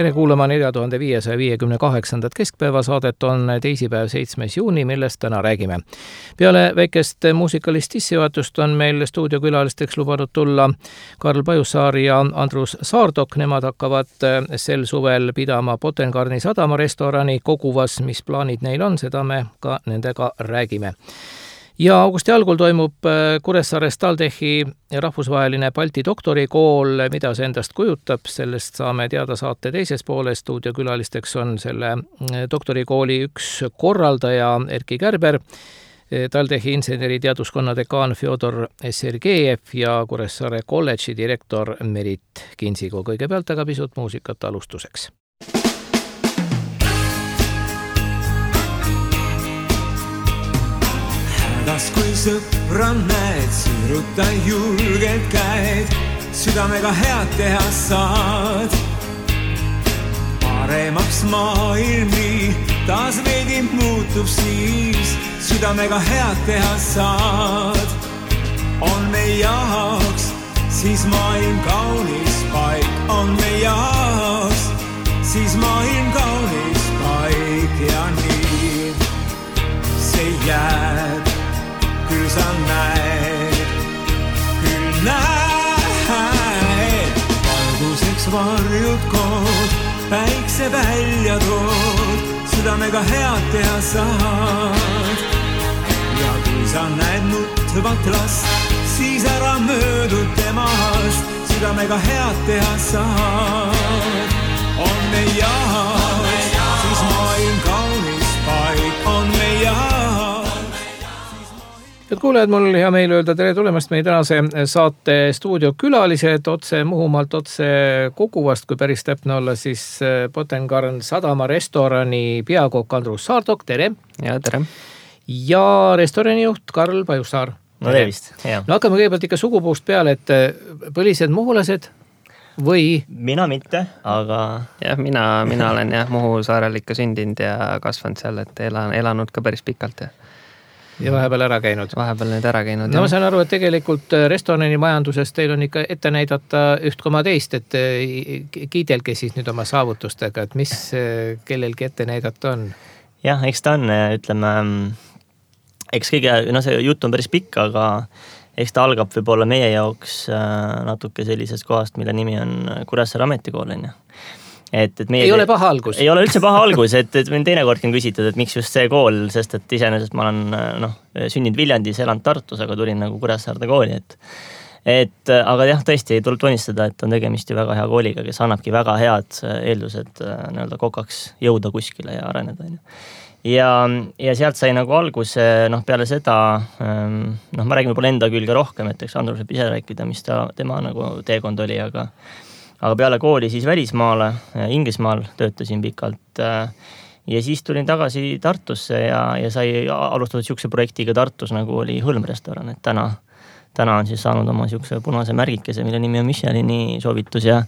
Tere kuulama 4558. keskpäevasaadet on teisipäev 7. juuni, millest täna räägime. Peale väikest muusikalist sissejuhatust on meil stuudiokülalisteks lubanud tulla Karl Pajussaar ja Andrus Saardok. Nemad hakkavad sel suvel pidama Potengarni sadama restorani Koguvas. Mis plaanid neil on, seda me ka nendega räägime. Ja augusti algul toimub Kuressaares TalTechi rahvusvaheline Balti doktorikool, mida see endast kujutab, sellest saame teada saate teises pooles. Stuudiokülalisteks on selle doktorikooli üks korraldaja Erki Kärber, TalTechi inseneriteaduskonna dekaan Fjodor Sergejev ja Kuressaare kolledži direktor Merit Kinsigo. Kõigepealt aga pisut muusikat alustuseks. Kui sõpra näed, siruta julgelt käed, südamega head teha saad. Paremaks maailmi taas veidi muutub siis, südamega head teha saad. On meie jaoks siis maailm kaunis paik, on meie jaoks siis maailm kaunis paik ja nii see jääb. Küll sa näed, valguseks varjud kood, päikse välja tood, südamega head teha saad. Ja kui sa näed nutvat last, siis ära möödu temast, südamega head teha saad. On meie jaoks, siis maailm kaunis paik, on meie jaoks. Head kuulajad, mul hea meil öelda tere tulemast meie tänase saate stuudiokülalised otse Muhumaalt, otse Koguvast, kui päris täpne olla, siis Potengarn sadama restorani peakokk Andrus Saardok, tere! Ja tere! Ja restorani juht Karl Pajussaar. No tervist! No hakkame kõigepealt ikka sugupuust peale, et põlised muhulased või? Mina mitte, aga jah, mina olen Muhu saarel ikka sündinud ja kasvanud seal, et elanud ka päris pikalt ja vahepeal ära käinud. Vahepeal nüüd ära käinud. No ma saan aru, et tegelikult restorani majanduses teil on ikka ette näidata 1,2, et kiidelge siis nüüd oma saavutustega, et mis kellelgi ette näidata on? Jah, eks ta on, ütleme, eks kõige, see jutt on päris pikk, aga eks ta algab võib-olla meie jaoks natuke sellisest kohast, mille nimi on Kuressaare ametikool. Meie ei ole paha algus. Ei ole üldse paha algus, et mind teinekordki on küsitud, et miks just see kool, sest et iseenesest ma olen sündinud Viljandis, elanud Tartus, aga tulin nagu Kuressaarde kooli. Aga jah, tõesti tuleb tunnistada, et on tegemist ju väga hea kooliga, kes annabki väga head eeldused kokaks jõuda kuskile ja areneda. Ja sealt sai nagu alguse, peale seda, ma räägin võib-olla enda külge rohkem, et eks Andrus võib ise rääkida, mis tema nagu teekond oli, aga peale kooli siis välismaale, Inglismaal töötasin pikalt ja siis tulin tagasi Tartusse ja sai alustatud siukse projektiga Tartus, nagu oli hõlmrestoran, et täna on siis saanud oma siukse punase märgikese, mille nimi on Michelini soovitus ja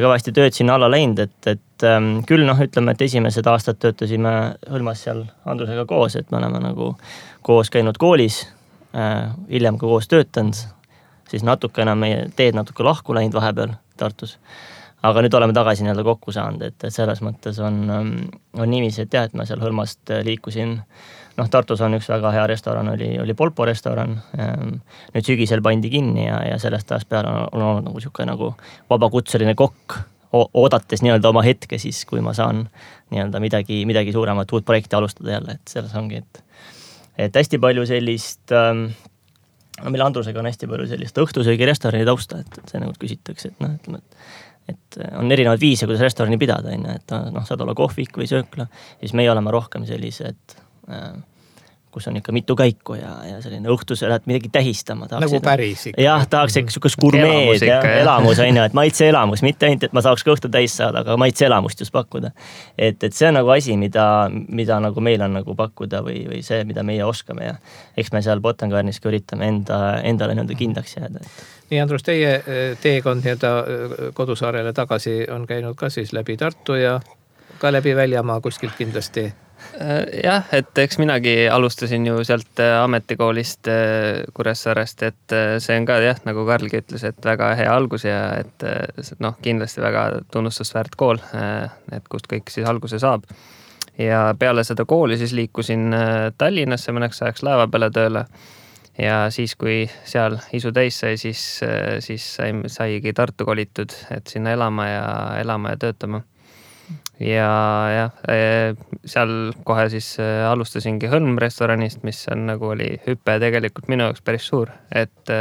kõvasti tööd sinna alla läinud, et küll ütleme, et esimesed aastad töötasime hõlmas seal Andrusega koos, et me oleme nagu koos käinud koolis, hiljem ka koos töötanud, siis natukene meie teed natuke lahku läinud vahepeal Tartus. Aga nüüd oleme tagasi kokku saanud, et selles mõttes on niiviisi, et jah, et ma seal hõlmast liikusin. Tartus on üks väga hea restoran, oli Polpo restoran. Nüüd sügisel pandi kinni ja sellest ajast peale on olnud nagu siuke nagu vabakutseline kokk, oodates oma hetke siis, kui ma saan midagi suuremat uut projekti alustada jälle, et selles ongi, et hästi palju sellist meil Andrusega on hästi palju sellist õhtusöögi restorani tausta, et see nagu küsitakse, et on erinevad viise, kuidas restorani pidada, et saad olla kohvik või söökla, siis meie oleme rohkem sellised, kus on ikka mitu käiku ja selline õhtus lähed midagi tähistama. Nagu päris ikka. Jah, tahaks ikka sükast gurmeed ja elamus, et maitse elamus, mitte ainult, et ma saaks ka õhtu täis saada, aga maitse elamust just pakkuda. Et see on nagu asi, mida nagu meil on nagu pakkuda või see, mida meie oskame ja eks me seal Potengarnis ka üritame endale kindlaks jääda. Nii, Andrus, teie teekond kodusaarele tagasi on käinud ka siis läbi Tartu ja ka läbi Väljamaa kuskilt kindlasti. Jah, et eks minagi alustasin ju sealt ametikoolist Kuressaarest, et see on ka jah, nagu Karlgi ütles, et väga hea algus ja et kindlasti väga tunnustusväärt kool, et kust kõik siis alguse saab. Ja peale seda kooli siis liikusin Tallinnasse mõneks ajaks laeva peale tööle ja siis, kui seal isu täis sai, siis saigi Tartu kolitud, et sinna elama ja töötama. Ja seal kohe siis alustasingi Hõlm restoranist, mis on nagu oli hüppe tegelikult minu jaoks päris suur, et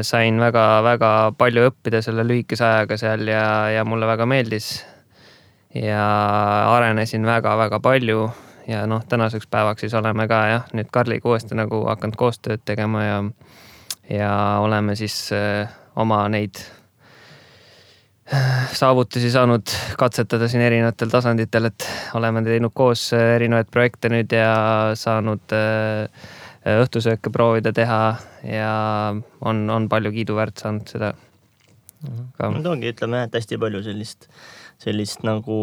sain väga palju õppida selle lühikese ajaga seal ja mulle väga meeldis ja arenesin väga palju ja tänaseks päevaks siis oleme ka nüüd Karliga uuesti nagu hakanud koostööd tegema ja oleme siis oma neid saavutusi saanud katsetada siin erinevatel tasanditel, et oleme teinud koos erinevaid projekte nüüd ja saanud õhtusööke proovida teha ja on palju kiiduväärt saanud seda ka. No ongi, ütleme, et hästi palju sellist nagu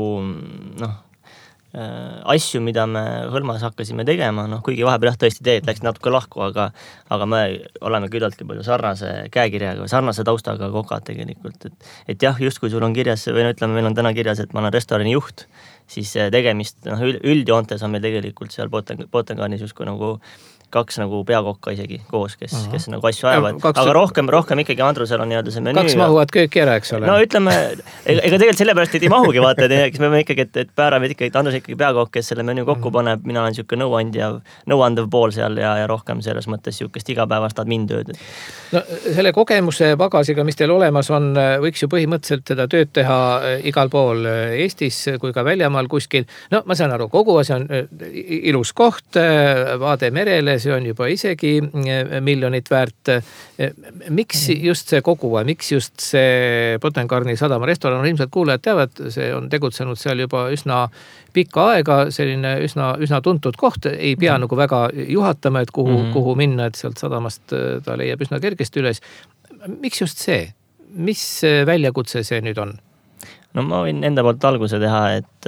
asju, mida me Hõlmas hakkasime tegema, kuigi vahepeal tõesti teed läks natuke lahku, aga me oleme küllaltki palju sarnase käekirjaga või sarnase taustaga kokad tegelikult. Et jah, just kui sul on kirjas, või ütleme, meil on täna kirjas, et ma olen restorani juht, siis tegemist, üldjoontes on meil tegelikult seal Potengarnis justkui nagu kaks nagu peakokka isegi koos, kes nagu asju ajavad. Aga rohkem ikkagi Andrusel on see menüü. Kaks mahuvad kööki ära, eks ole. No ütleme, ega tegelikult sellepärast ei mahugi vaata, et me võime ikkagi, et päärame ikkagi, Andrus ikkagi peakokk, kes selle menüü kokku paneb, mina olen siuke nõuandev pool seal ja rohkem selles mõttes siukest igapäevast admin-tööd. No selle kogemuse pagasiga, mis teil olemas on, võiks ju põhimõtteliselt seda tööd teha igal pool Eestis kui ka väljamaal kuskil. No ma saan aru, kogu asi on ilus koht, vaade merele, see on juba isegi miljonit väärt. Miks just see kogu aeg, miks just see Potengarni sadama restoran, ilmselt kuulajad teavad, see on tegutsenud seal juba üsna pikka aega, selline üsna tuntud koht, ei pea nagu väga juhatama, et kuhu minna, et sealt sadamast ta leiab üsna kergesti üles. Miks just see? Mis väljakutse see nüüd on? No ma võin enda poolt alguse teha, et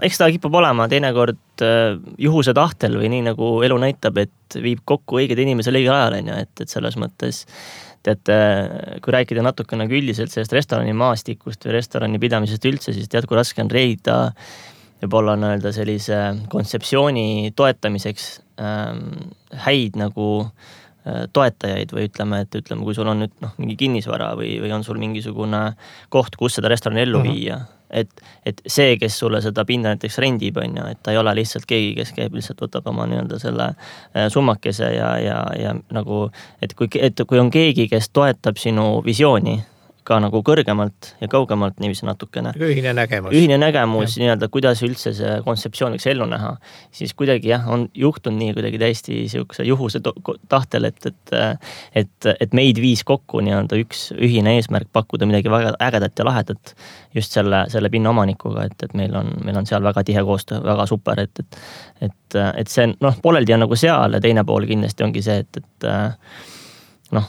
eks ta kipub olema teinekord juhuse tahtel või nii nagu elu näitab, et viib kokku õiged inimesel õigel ajal, et selles mõttes, et kui rääkida natuke nagu üldiselt sellest restorani maastikust või restorani pidamisest üldse, siis kui raske on leida võib-olla sellise kontseptsiooni toetamiseks häid nagu toetajaid või ütleme, kui sul on nüüd mingi kinnisvara või on sul mingisugune koht, kus seda restorani ellu viia, et see, kes sulle seda pinda näiteks rendib, et ta ei ole lihtsalt keegi, kes käib, lihtsalt võtab oma selle summakese ja nagu, et kui on keegi, kes toetab sinu visiooni ka nagu kõrgemalt ja kaugemalt niiviisi natukene. Ühine nägemus. Ühine nägemus, kuidas üldse see kontseptsioon võiks ellu näha. Siis kuidagi on juhtunud nii kuidagi täiesti siukse juhuse tahtel, et meid viis kokku üks ühine eesmärk pakkuda midagi väga ägedat ja lahedat just selle pinna omanikuga, et meil on seal väga tihe koostöö, väga super, et see pooleldi on nagu seal ja teine pool kindlasti ongi see, et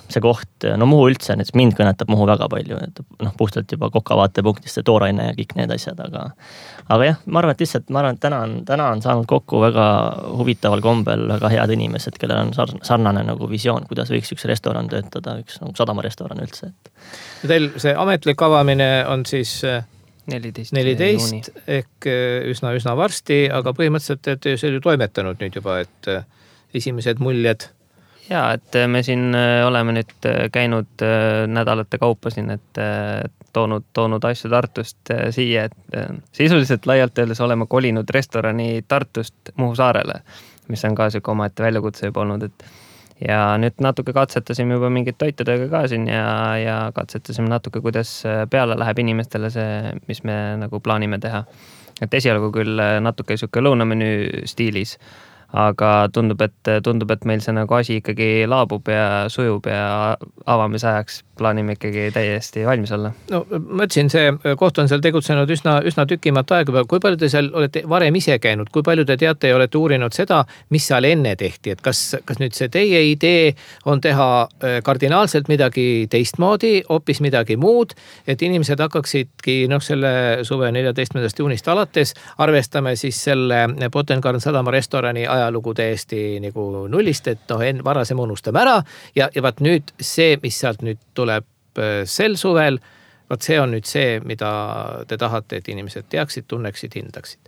see koht, Muhu üldse, mind kõnetab Muhu väga palju, et puhtalt juba kokavaatepunktist see tooraine ja kõik need asjad, aga jah, ma arvan, et täna on saanud kokku väga huvitaval kombel väga head inimesed, kellel on sarnane nagu visioon, kuidas võiks üks restoran töötada, üks nagu sadamarestoran üldse. Teil see ametlik avamine on siis 14 ehk üsna varsti, aga põhimõtteliselt, et see ju toimetanud nüüd juba, et esimesed muljed. Ja, et me siin oleme nüüd käinud nädalate kaupa siin, et toonud asju Tartust siia, et sisuliselt laialt öeldes oleme kolinud restorani Tartust Muhu saarele, mis on ka siuke omaette väljakutse juba olnud, ja nüüd natuke katsetasime juba mingid toitudega ka siin ja katsetasime natuke, kuidas peale läheb inimestele see, mis me nagu plaanime teha. Et esialgu küll natuke siuke lõunamenüü stiilis, aga tundub, et meil see nagu asi ikkagi laabub ja sujub ja avamise ajaks plaanime ikkagi täiesti valmis olla. No ma ütlesin, see koht on seal tegutsenud üsna tükimat aega. Kui palju te seal olete varem ise käinud? Kui palju te teate ja olete uurinud seda, mis seal enne tehti? Et kas nüüd see teie idee on teha kardinaalselt midagi teistmoodi, hoopis midagi muud, et inimesed hakkaksidki selle suve 14. juunist alates arvestame siis selle Botangarden Sadama restorani ajalugu täiesti nagu nullist, et varasem unustame ära ja vaat nüüd see, mis sealt nüüd tuleb sel suvel, vaat see on nüüd see, mida te tahate, et inimesed teaksid, tunneksid, hindaksid.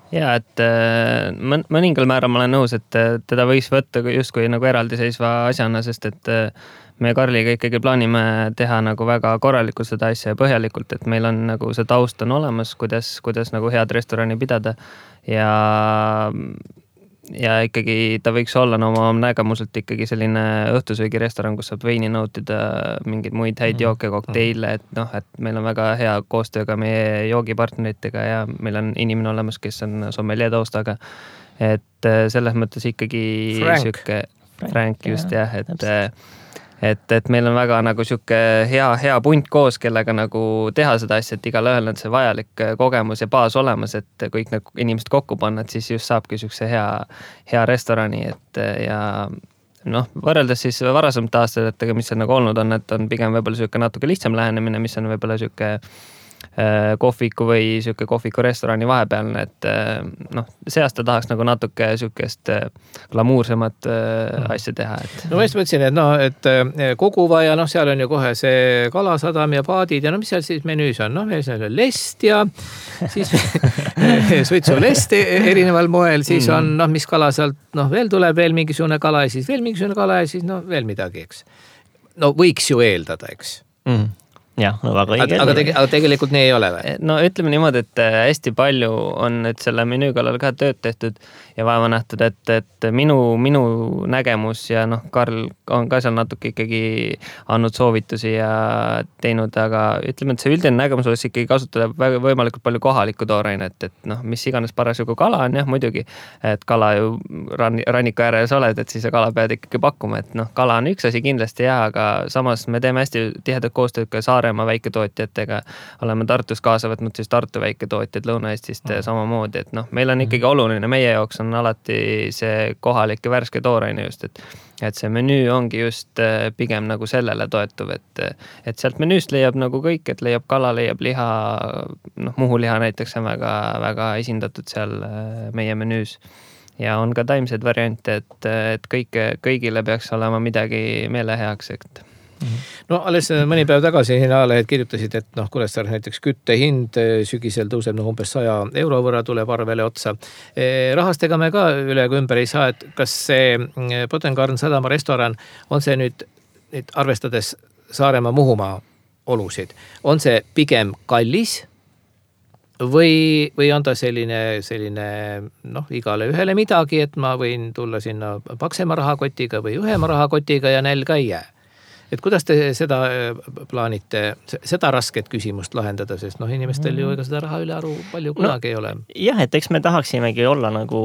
Ja, et mõningal määral ma olen nõus, et teda võiks võtta justkui nagu eraldiseisva asjana, sest et me Karliga ikkagi plaanime teha nagu väga korralikult seda asja ja põhjalikult, et meil on nagu see taust on olemas, kuidas nagu head restorani pidada ja ikkagi ta võiks olla oma nägemuselt ikkagi selline õhtusöögirestoran, kus saab veini nautida, mingeid muid häid jooke, kokteile, et meil on väga hea koostöö ka meie joogipartneritega ja meil on inimene olemas, kes on sommelier taustaga. Et selles mõttes ikkagi Frank just jah, et meil on väga nagu siuke hea punt koos, kellega nagu teha seda asja, et igal ühel on see vajalik kogemus ja baas olemas, et kõik need inimesed kokku panna, et siis just saabki siukse hea restorani, et ja võrreldes siis varasemate aastatega, mis on nagu olnud on, et on pigem võib-olla siuke natuke lihtsam lähenemine, mis on võib-olla siuke kohviku või siuke kohviku restorani vahepealne, et see aasta tahaks nagu natuke siukest glamuursemat asja teha. No ma just mõtlesin, et Koguva ja seal on ju kohe see Kalasadam ja paadid ja mis seal siis menüüs on? Meil on lest ja siis suitsulest erineval moel, siis on mis kala sealt, veel tuleb veel mingisugune kala ja siis veel mingisugune kala ja siis veel midagi, eks. Võiks ju eeldada, eks. Jah, väga õige. Aga tegelikult nii ei ole või? Ütleme niimoodi, et hästi palju on nüüd selle menüü kallal ka tööd tehtud ja vaeva nähtud, et minu nägemus ja Karl on ka seal natuke ikkagi andnud soovitusi ja teinud, aga ütleme, et see üldine nägemus oleks ikkagi kasutada võimalikult palju kohalikku toorainet, et mis iganes parasjagu kala on, jah, muidugi, et kala ju ranniku ääres oled, et siis kala pead ikkagi pakkuma, et kala on üks asi kindlasti ja, aga samas me teeme hästi tihedat koostööd ka Saaremaa väiketootjatega, oleme Tartus kaasa võtnud siis Tartu väiketootjad Lõuna-Eestist samamoodi, et meil on ikkagi oluline, meie jaoks on alati see kohalik ja värske tooraine just, et see menüü ongi just pigem nagu sellele toetuv, et sealt menüüst leiab nagu kõik, et leiab kala, leiab liha, muhuliha näiteks on väga esindatud seal meie menüüs ja on ka taimseid variante, et kõigile peaks olema midagi meeleheaks, et alles mõni päev tagasi Ajalehed kirjutasid, et Kuressaare näiteks küttehind sügisel tõuseb umbes 100 euro võrra, tuleb arvele otsa. Rahastega me ka üle ümber ei saa, et kas see Botangarden Sadama restoran on see nüüd arvestades Saaremaa Muhumaa olusid, on see pigem kallis või on ta selline igale ühele midagi, et ma võin tulla sinna paksema rahakotiga või õhema rahakotiga ja nälga ei jää? Et kuidas te seda plaanite, seda rasket küsimust lahendada, sest inimestel ju ega seda raha üle aru palju kunagi ei ole. Jah, et eks me tahaksimegi olla nagu,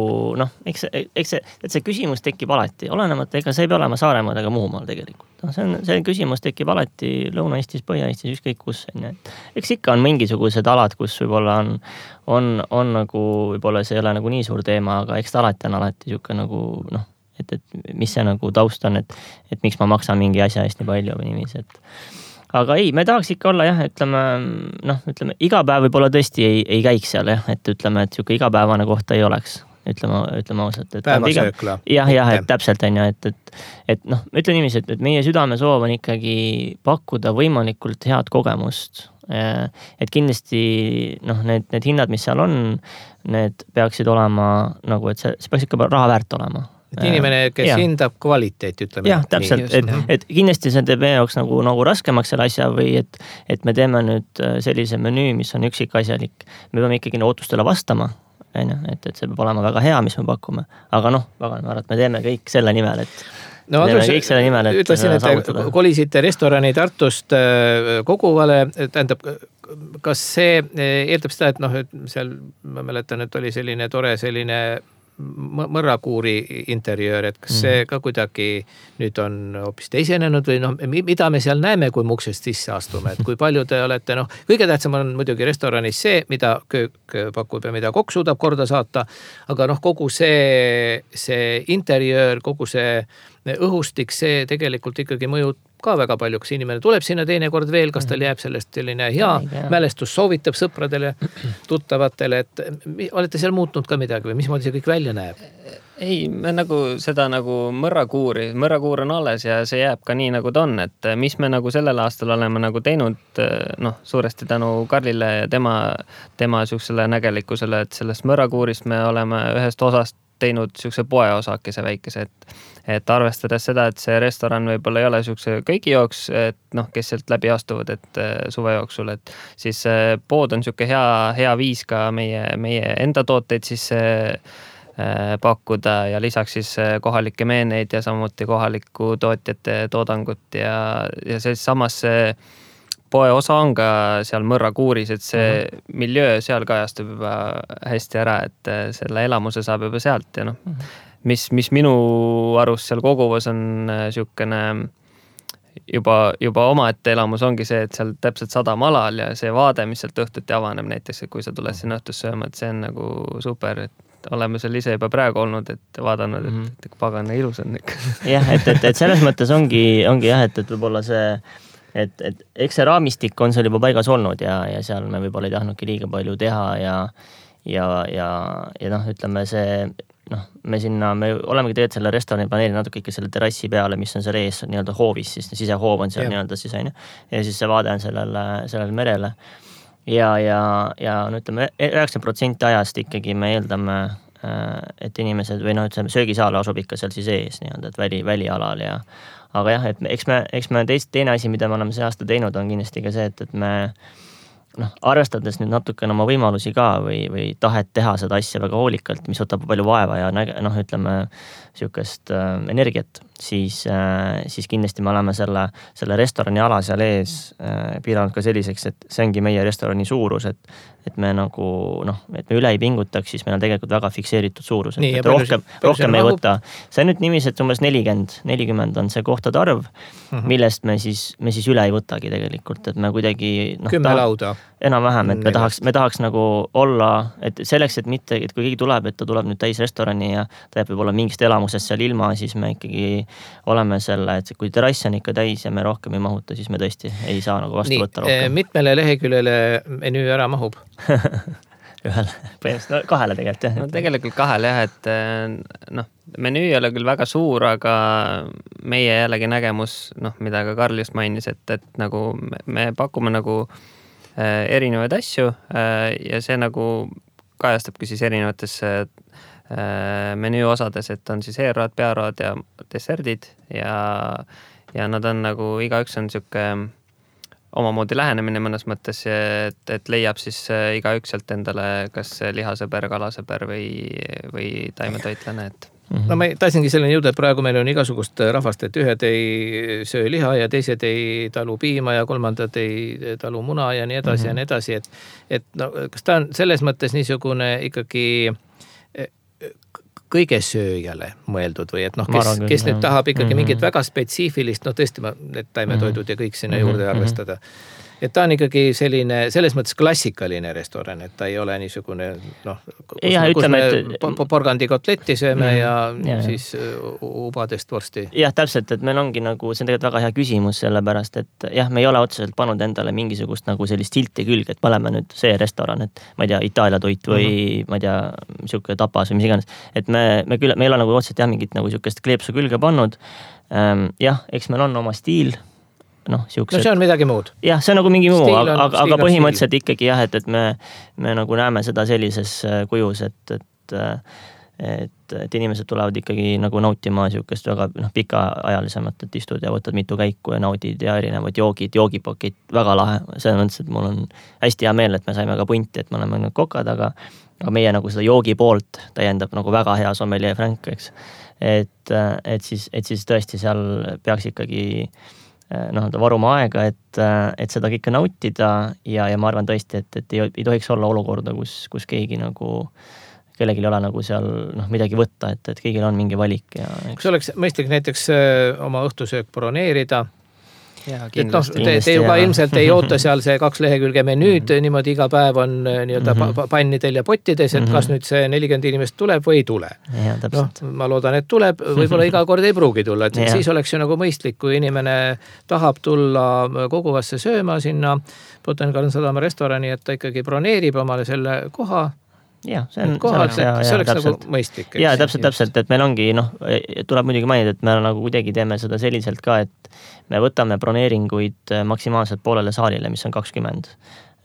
eks see küsimus tekib alati, olenemata, ega see ei pea olema Saaremaal ega Muhumaal tegelikult. See küsimus tekib alati Lõuna-Eestis, Põhja-Eestis, ükskõik kus. Eks ikka on mingisugused alad, kus võib-olla on nagu, võib-olla see ei ole nagu nii suur teema, aga eks ta alati on siuke nagu, et mis see nagu taust on, et miks ma maksan mingi asja eest nii palju või niiviisi, aga ei, me tahaks ikka olla jah, ütleme, iga päev võib-olla tõesti ei käiks seal jah, et ütleme, et siuke igapäevane kohta ei oleks, ütleme ausalt. Päevasöökla. Jah, et täpselt on ja, et ütlen niiviisi, et meie südamesoov on ikkagi pakkuda võimalikult head kogemust, et kindlasti need hinnad, mis seal on, need peaksid olema nagu, et see peaks ikka raha väärt olema. Et inimene, kes hindab kvaliteeti, ütleme. Jah, täpselt, et kindlasti see teeb meie jaoks nagu raskemaks selle asja või et me teeme nüüd sellise menüü, mis on üksikasjalik. Me peame ikkagi ootustele vastama, et see peab olema väga hea, mis me pakume. Aga me teeme kõik selle nimel, ütlesin, et kolisite restorani Tartust Koguvale, tähendab, kas see eeldab seda, et seal ma mäletan, et oli selline tore mõrrakuuri interjöör, et kas see ka kuidagi nüüd on hoopis teisenenud või noh, mida me seal näeme, kui me uksest sisse astume, et kui palju te olete, noh, kõige tähtsam on muidugi restoranis see, mida köök pakub ja mida kokk suudab korda saata, aga noh, kogu see interjöör, kogu see õhustik, see tegelikult ikkagi mõjub ka väga palju, kas inimene tuleb sinna teinekord veel, kas tal jääb sellest selline hea mälestus, soovitab sõpradele, tuttavatele, et olete seal muutnud ka midagi või mismoodi see kõik välja näeb? Ei, me nagu seda nagu mõrrakuur on alles ja see jääb ka nii, nagu ta on, et mis me nagu sellel aastal oleme nagu teinud, noh, suuresti tänu Karlile ja tema siuksele nägelikkusele, et sellest mõrrakuurist me oleme ühest osast teinud siukse poeosakese väikese, et arvestades seda, et see restoran võib-olla ei ole siukse kõigi jooks, et noh, kes sealt läbi astuvad, et suve jooksul, et siis pood on siuke hea viis ka meie enda tooteid siis pakkuda ja lisaks siis kohalikke meeneid ja samuti kohaliku tootjate toodangut ja siis samas see poe osa on ka seal mõrrakuuris, et see miljöö seal kajastub juba hästi ära, et selle elamuse saab juba sealt ja noh, mis minu arust seal koguvas on siukene juba omaette elamus ongi see, et seal täpselt 100 alal ja see vaade, mis sealt õhtuti avaneb näiteks, et kui sa tuled sinna õhtus sööma, et see on nagu super, et oleme seal ise juba praegu olnud, et vaadanud, et pagana ilus on ikka. Jah, et selles mõttes ongi jah, et võib-olla see et eks see raamistik on seal juba paigas olnud ja seal me võib-olla ei tahtnudki liiga palju teha ja noh, ütleme see, noh, me olemegi tegelikult selle restorani planeerinud natuke ikka selle terrassi peale, mis on seal ees nii-öelda hoovis, siis sisehoov on seal nii-öelda sisene ja siis see vaade on sellele merele ja no ütleme 90% ajast ikkagi me eeldame, et inimesed või noh, ütleme söögisaal asub ikka seal siis ees nii-öelda, et välialal aga jah, et eks me teine asi, mida me oleme see aasta teinud, on kindlasti ka see, et me noh, arvestades nüüd natukene oma võimalusi ka või tahet teha seda asja väga hoolikalt, mis võtab palju vaeva ja noh, ütleme siukest energiat, siis kindlasti me oleme selle restorani ala seal ees piiranud ka selliseks, et see ongi meie restorani suurus, et me nagu noh, et me üle ei pingutaks, siis meil on tegelikult väga fikseeritud suurus, et rohkem ei võta. See on nüüd niiviisi, et umbes 40 on see kohtade arv, millest me siis üle ei võtagi tegelikult, et me kuidagi 10 lauda. Enam-vähem, et me tahaks nagu olla, et selleks, et mitte, et kui keegi tuleb, et ta tuleb nüüd täis restorani ja ta jääb võib-olla mingist elamusest seal ilma, siis me ikkagi oleme selle, et kui terrass on ikka täis ja me rohkem ei mahuta, siis me tõesti ei saa nagu vastu võtta rohkem. Mitmele leheküljele menüü ära mahub? Ühele, põhimõtteliselt 2 tegelikult jah. No tegelikult 2 jah, et noh, menüü ei ole küll väga suur, aga meie jällegi nägemus, noh, mida ka Karl just mainis, et nagu me pakume nagu erinevaid asju ja see nagu kajastabki siis erinevates menüü osades, et on siis eelroad, pearoad ja deserdid ja nad on nagu igaüks on siuke omamoodi lähenemine mõnes mõttes, et leiab siis igaüks sealt endale kas lihasõber, kalasõber või taimetoitlane, et no ma tahtsingi selleni jõuda, et praegu meil on igasugust rahvast, et ühed ei söö liha ja teised ei talu piima ja kolmandad ei talu muna ja nii edasi ja nii edasi, et no, kas ta on selles mõttes niisugune ikkagi kõige sööjale mõeldud või et noh, kes nüüd tahab ikkagi mingit väga spetsiifilist, noh tõesti need taimetoidud ja kõik sinna juurde arvestada. Et ta on ikkagi selline, selles mõttes klassikaline restoran, et ta ei ole niisugune, noh, kus me porgandi kotletti sööme ja siis ubadest vorsti. Jah, täpselt, et meil ongi nagu, see on tegelikult väga hea küsimus sellepärast, et jah, me ei ole otseselt pannud endale mingisugust nagu sellist silti külge, et me oleme nüüd see restoran, et ma ei tea, Itaalia toit või ma ei tea, siuke tapas või mis iganes. Et me ei ole nagu otseselt jah, mingit nagu siukest kleepsu külge pannud. Jah, eks meil on oma stiil. No see on midagi muud. Jah, see on nagu mingi muu, aga põhimõtteliselt ikkagi jah, et me nagu näeme seda sellises kujus, et inimesed tulevad ikkagi nagu nautima siukest väga pikaajalisemat, et istud ja võtad mitu käiku ja naudid ja erinevad joogipakid, väga lahe. See on mõttes, et mul on hästi hea meel, et me saime ka punti, et me oleme nüüd kokad, aga meie nagu seda joogi poolt täiendab nagu väga hea sommelier Frank, eks. Et siis tõesti seal peaks ikkagi varuma aega, et seda kõike nautida ja ma arvan tõesti, et ei tohiks olla olukorda, kus keegi nagu kellelgi ei ole nagu seal midagi võtta, et kõigil on mingi valik ja kas oleks mõistlik näiteks oma õhtusöök broneerida? Et te juba ilmselt ei oota seal see 2 lehekülge menüüd, niimoodi iga päev on nii-öelda pannidel ja pottides, et kas nüüd see 40 inimest tuleb või ei tule. Ma loodan, et tuleb, võib-olla iga kord ei pruugi tulla, et siis oleks ju nagu mõistlik, kui inimene tahab tulla Koguvasse sööma sinna Botanical Sadama restorani, et ta ikkagi broneerib omale selle koha. Ja, see oleks nagu mõistlik. Ja, täpselt, et meil ongi, tuleb muidugi mainida, et me nagu kuidagi teeme seda selliselt ka, et me võtame broneeringuid maksimaalselt poolele saalile, mis on 20.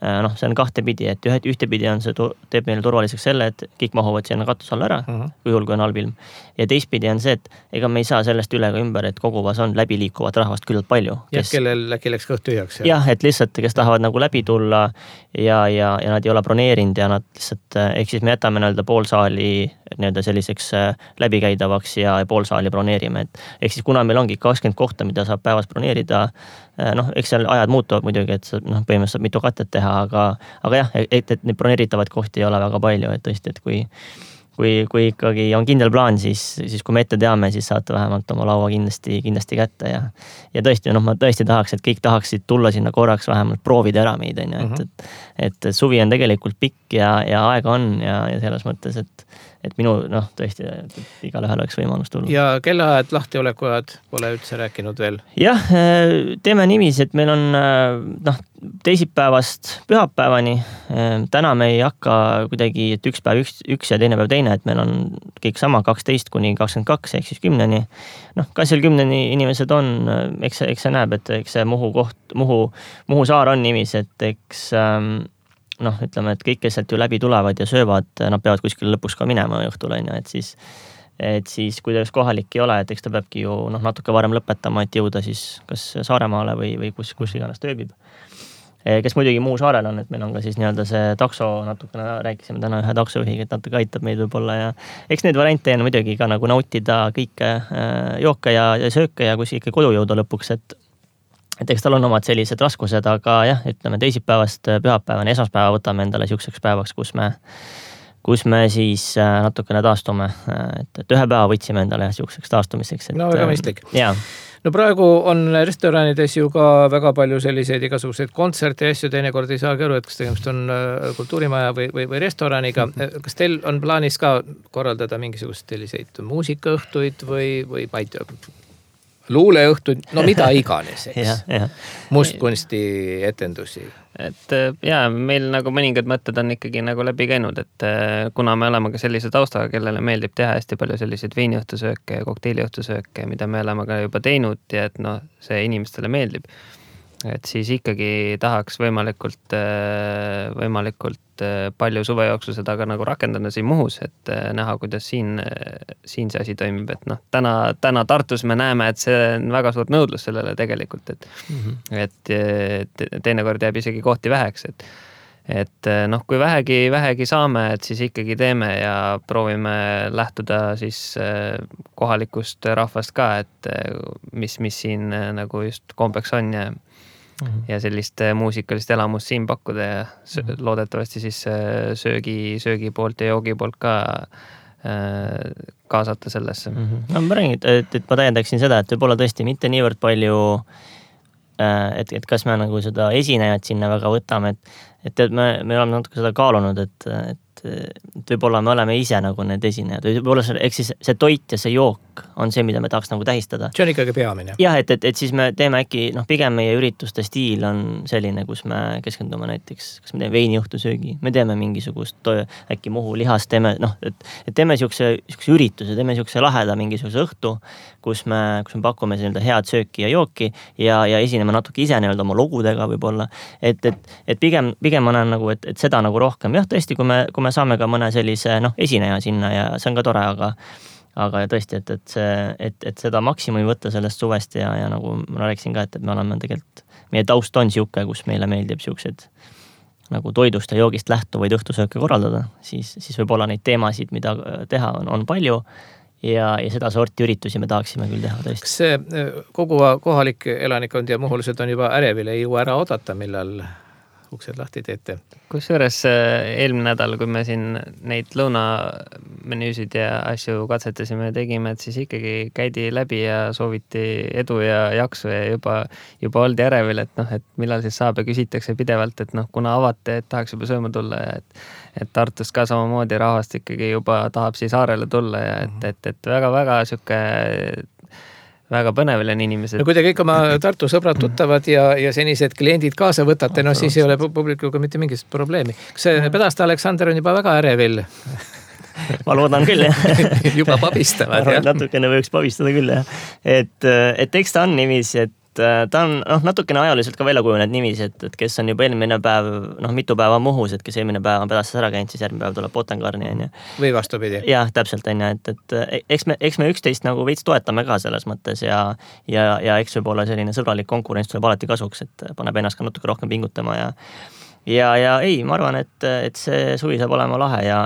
See on 2 pidi, et ühtepidi on see teeb meile turvaliseks selle, et kõik mahuvad sinna katus alla ära, kui juhul kui on halb ilm. Ja teistpidi on see, et ega me ei saa sellest üle ka ümber, et Koguvas on läbiliikuvat rahvast küllalt palju. Kellel äkki läks kõht tühjaks. Jah, et lihtsalt, kes tahavad nagu läbi tulla ja nad ei ole broneerinud ja nad lihtsalt, ehk siis me jätame pool saali selliseks läbikäidavaks ja pool saali broneerime. Ehk siis kuna meil ongi 20 kohta, mida saab päevas broneerida, eks seal ajad muutuvad muidugi, et põhimõtteliselt saab mitu katet teha, aga jah, et neid broneeritavaid kohti ei ole väga palju, et tõesti, et kui ikkagi on kindel plaan, siis kui me ette teame, siis saate vähemalt oma laua kindlasti kätte ja tõesti, ma tõesti tahaks, et kõik tahaksid tulla sinna korraks vähemalt proovida ära meid, et suvi on tegelikult pikk ja aega on ja selles mõttes, et minu, tõesti, igal ühel oleks võimalus tulla. Ja kellaajad, lahtiolekuajad pole üldse rääkinud veel? Jah, teeme niiviisi, et meil on teisipäevast pühapäevani. Täna me ei hakka kuidagi, et üks päev üks ja teine päev teine, et meil on kõik sama 12 kuni 22, ehk siis 10. Kas seal 10 inimesed on, eks see näeb, et eks see Muhu saar on niiviisi, et eks ütleme, et kõik, kes sealt ju läbi tulevad ja söövad, nad peavad kuskil lõpuks ka minema õhtul, et siis kui ta kohalik ei ole, et eks ta peabki ju natuke varem lõpetama, et jõuda siis kas Saaremaale või kus iganes tööbib. Kes muidugi Muhu saarel on, et meil on ka siis nii-öelda see takso, natukene rääkisime täna ühe taksojuhiga, et natuke aitab meid võib-olla ja eks neid variante on muidugi ka nagu nautida kõike jooke ja sööke ja kus ikka kodu jõuda lõpuks, et eks tal on omad sellised raskused, aga jah, ütleme teisipäevast pühapäevani, esmaspäeva võtame endale siukseks päevaks, kus me siis natukene taastume, et ühe päeva võtsime endale siukseks taastumiseks. Väga mõistlik. Praegu on restoranides ju ka väga palju selliseid igasuguseid kontserte ja asju, teinekord ei saagi aru, et kas tegemist on kultuurimaja või restoraniga. Kas teil on plaanis ka korraldada mingisugust selliseid muusikaõhtuid või ma ei tea, luuleõhtud, mida iganes, eks. Mustkunsti etendusi. Et meil nagu mõningad mõtted on ikkagi nagu läbi käinud, et kuna me oleme ka sellise taustaga, kellele meeldib teha hästi palju selliseid veiniõhtusööke ja kokteiliõhtusööke, mida me oleme ka juba teinud ja et see inimestele meeldib. Et siis ikkagi tahaks võimalikult palju suve jooksul seda ka nagu rakendada siin Muhus, et näha, kuidas siin see asi toimib, et täna Tartus me näeme, et see on väga suurt nõudlus sellele tegelikult, et teinekord jääb isegi kohti väheks, et kui vähegi saame, et siis ikkagi teeme ja proovime lähtuda siis kohalikust rahvast ka, et mis siin nagu just kombeks on ja sellist muusikalist elamust siin pakkuda ja loodetavasti siis söögi poolt ja joogi poolt ka kaasata sellesse. Ma räägin, et ma täiendaksin seda, et võib-olla tõesti mitte niivõrd palju, et kas me nagu seda esinejat sinna väga võtame, et me oleme natuke seda kaalunud, et võib-olla me oleme ise nagu need esinejad või võib-olla see toit ja see jook on see, mida me tahaks nagu tähistada. See on ikkagi peamine. Jah, et siis me teeme äkki, pigem meie ürituste stiil on selline, kus me keskendume näiteks, kas me teeme veiniõhtusöögi, me teeme mingisugust äkki Muhu lihast, teeme siukse ürituse, teeme siukse laheda mingisuguse õhtu, kus me pakume head sööki ja jooki ja esineme natuke ise oma logudega võib-olla, et pigem ma näen nagu, et seda nagu rohkem, jah tõesti, kui me saame ka mõne sellise esineja sinna ja see on ka tore, aga tõesti, et seda maksimumi võtta sellest suvest ja nagu ma rääkisin ka, et me oleme tegelikult, meie taust on siuke, kus meile meeldib siuksed nagu toidust ja joogist lähtuvaid õhtusööke korraldada, siis võib-olla neid teemasid, mida teha on palju ja seda sorti üritusi me tahaksime küll teha tõesti. Kas see kogu kohalik elanikkond ja muhulised on juba ärevil, ei jõua ära oodata, millal uksed lahti teete. Kusjuures eelmine nädal, kui me siin neid lõunamenüüsid ja asju katsetasime ja tegime, et siis ikkagi käidi läbi ja sooviti edu ja jaksu ja juba oldi ärevil, et et millal siis saab ja küsitakse pidevalt, et kuna avate, et tahaks juba sööma tulla ja et Tartust ka samamoodi rahvast ikkagi juba tahab siis saarele tulla ja et väga-väga sihuke väga põnev on inimesed. No kui te kõik oma Tartu sõbrad tuttavad ja senised kliendid kaasa võtate, siis ei ole publikuga mitte mingit probleemi. Kas Pedaste Aleksander on juba väga ärevil? Ma loodan küll, jah. Juba pabistavad, jah? Natukene võiks pabistada küll, jah. Et eks ta on niiviisi, et ta on natukene ajaliselt ka välja kujunenud niiviisi, et kes on juba eelmine päev, mitu päeva Muhus, et kes eelmine päev on Pedastes ära käinud, siis järgmine päev tuleb Botengarni, on ju. Või vastupidi. Jah, täpselt on ju, et eks me üksteist nagu veits toetame ka selles mõttes ja eks võib-olla selline sõbralik konkurents tuleb alati kasuks, et paneb ennast ka natuke rohkem pingutama ja ei, ma arvan, et see suvi saab olema lahe ja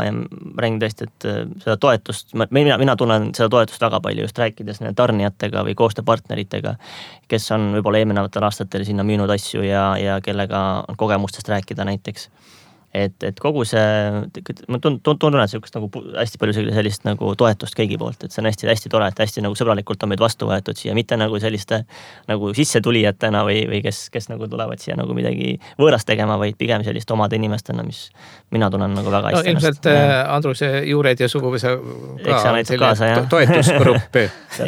räägin tõesti, et seda toetust, mina tunnen seda toetust väga palju just rääkides tarnijatega või koostööpartneritega, kes on võib-olla eelminevatel aastatel sinna müünud asju ja kellega on kogemustest rääkida näiteks. Et kogu see, ma tunnen sellist nagu hästi palju sellist nagu toetust kõigi poolt, et see on hästi tore, et hästi nagu sõbralikult on meid vastu võetud siia, mitte nagu selliste nagu sissetulijatena või kes nagu tulevad siia nagu midagi võõrast tegema, vaid pigem sellist omade inimestena, mis mina tunnen nagu väga hästi. No ilmselt Andruse juured ja suguvõsa ka toetusgrupp.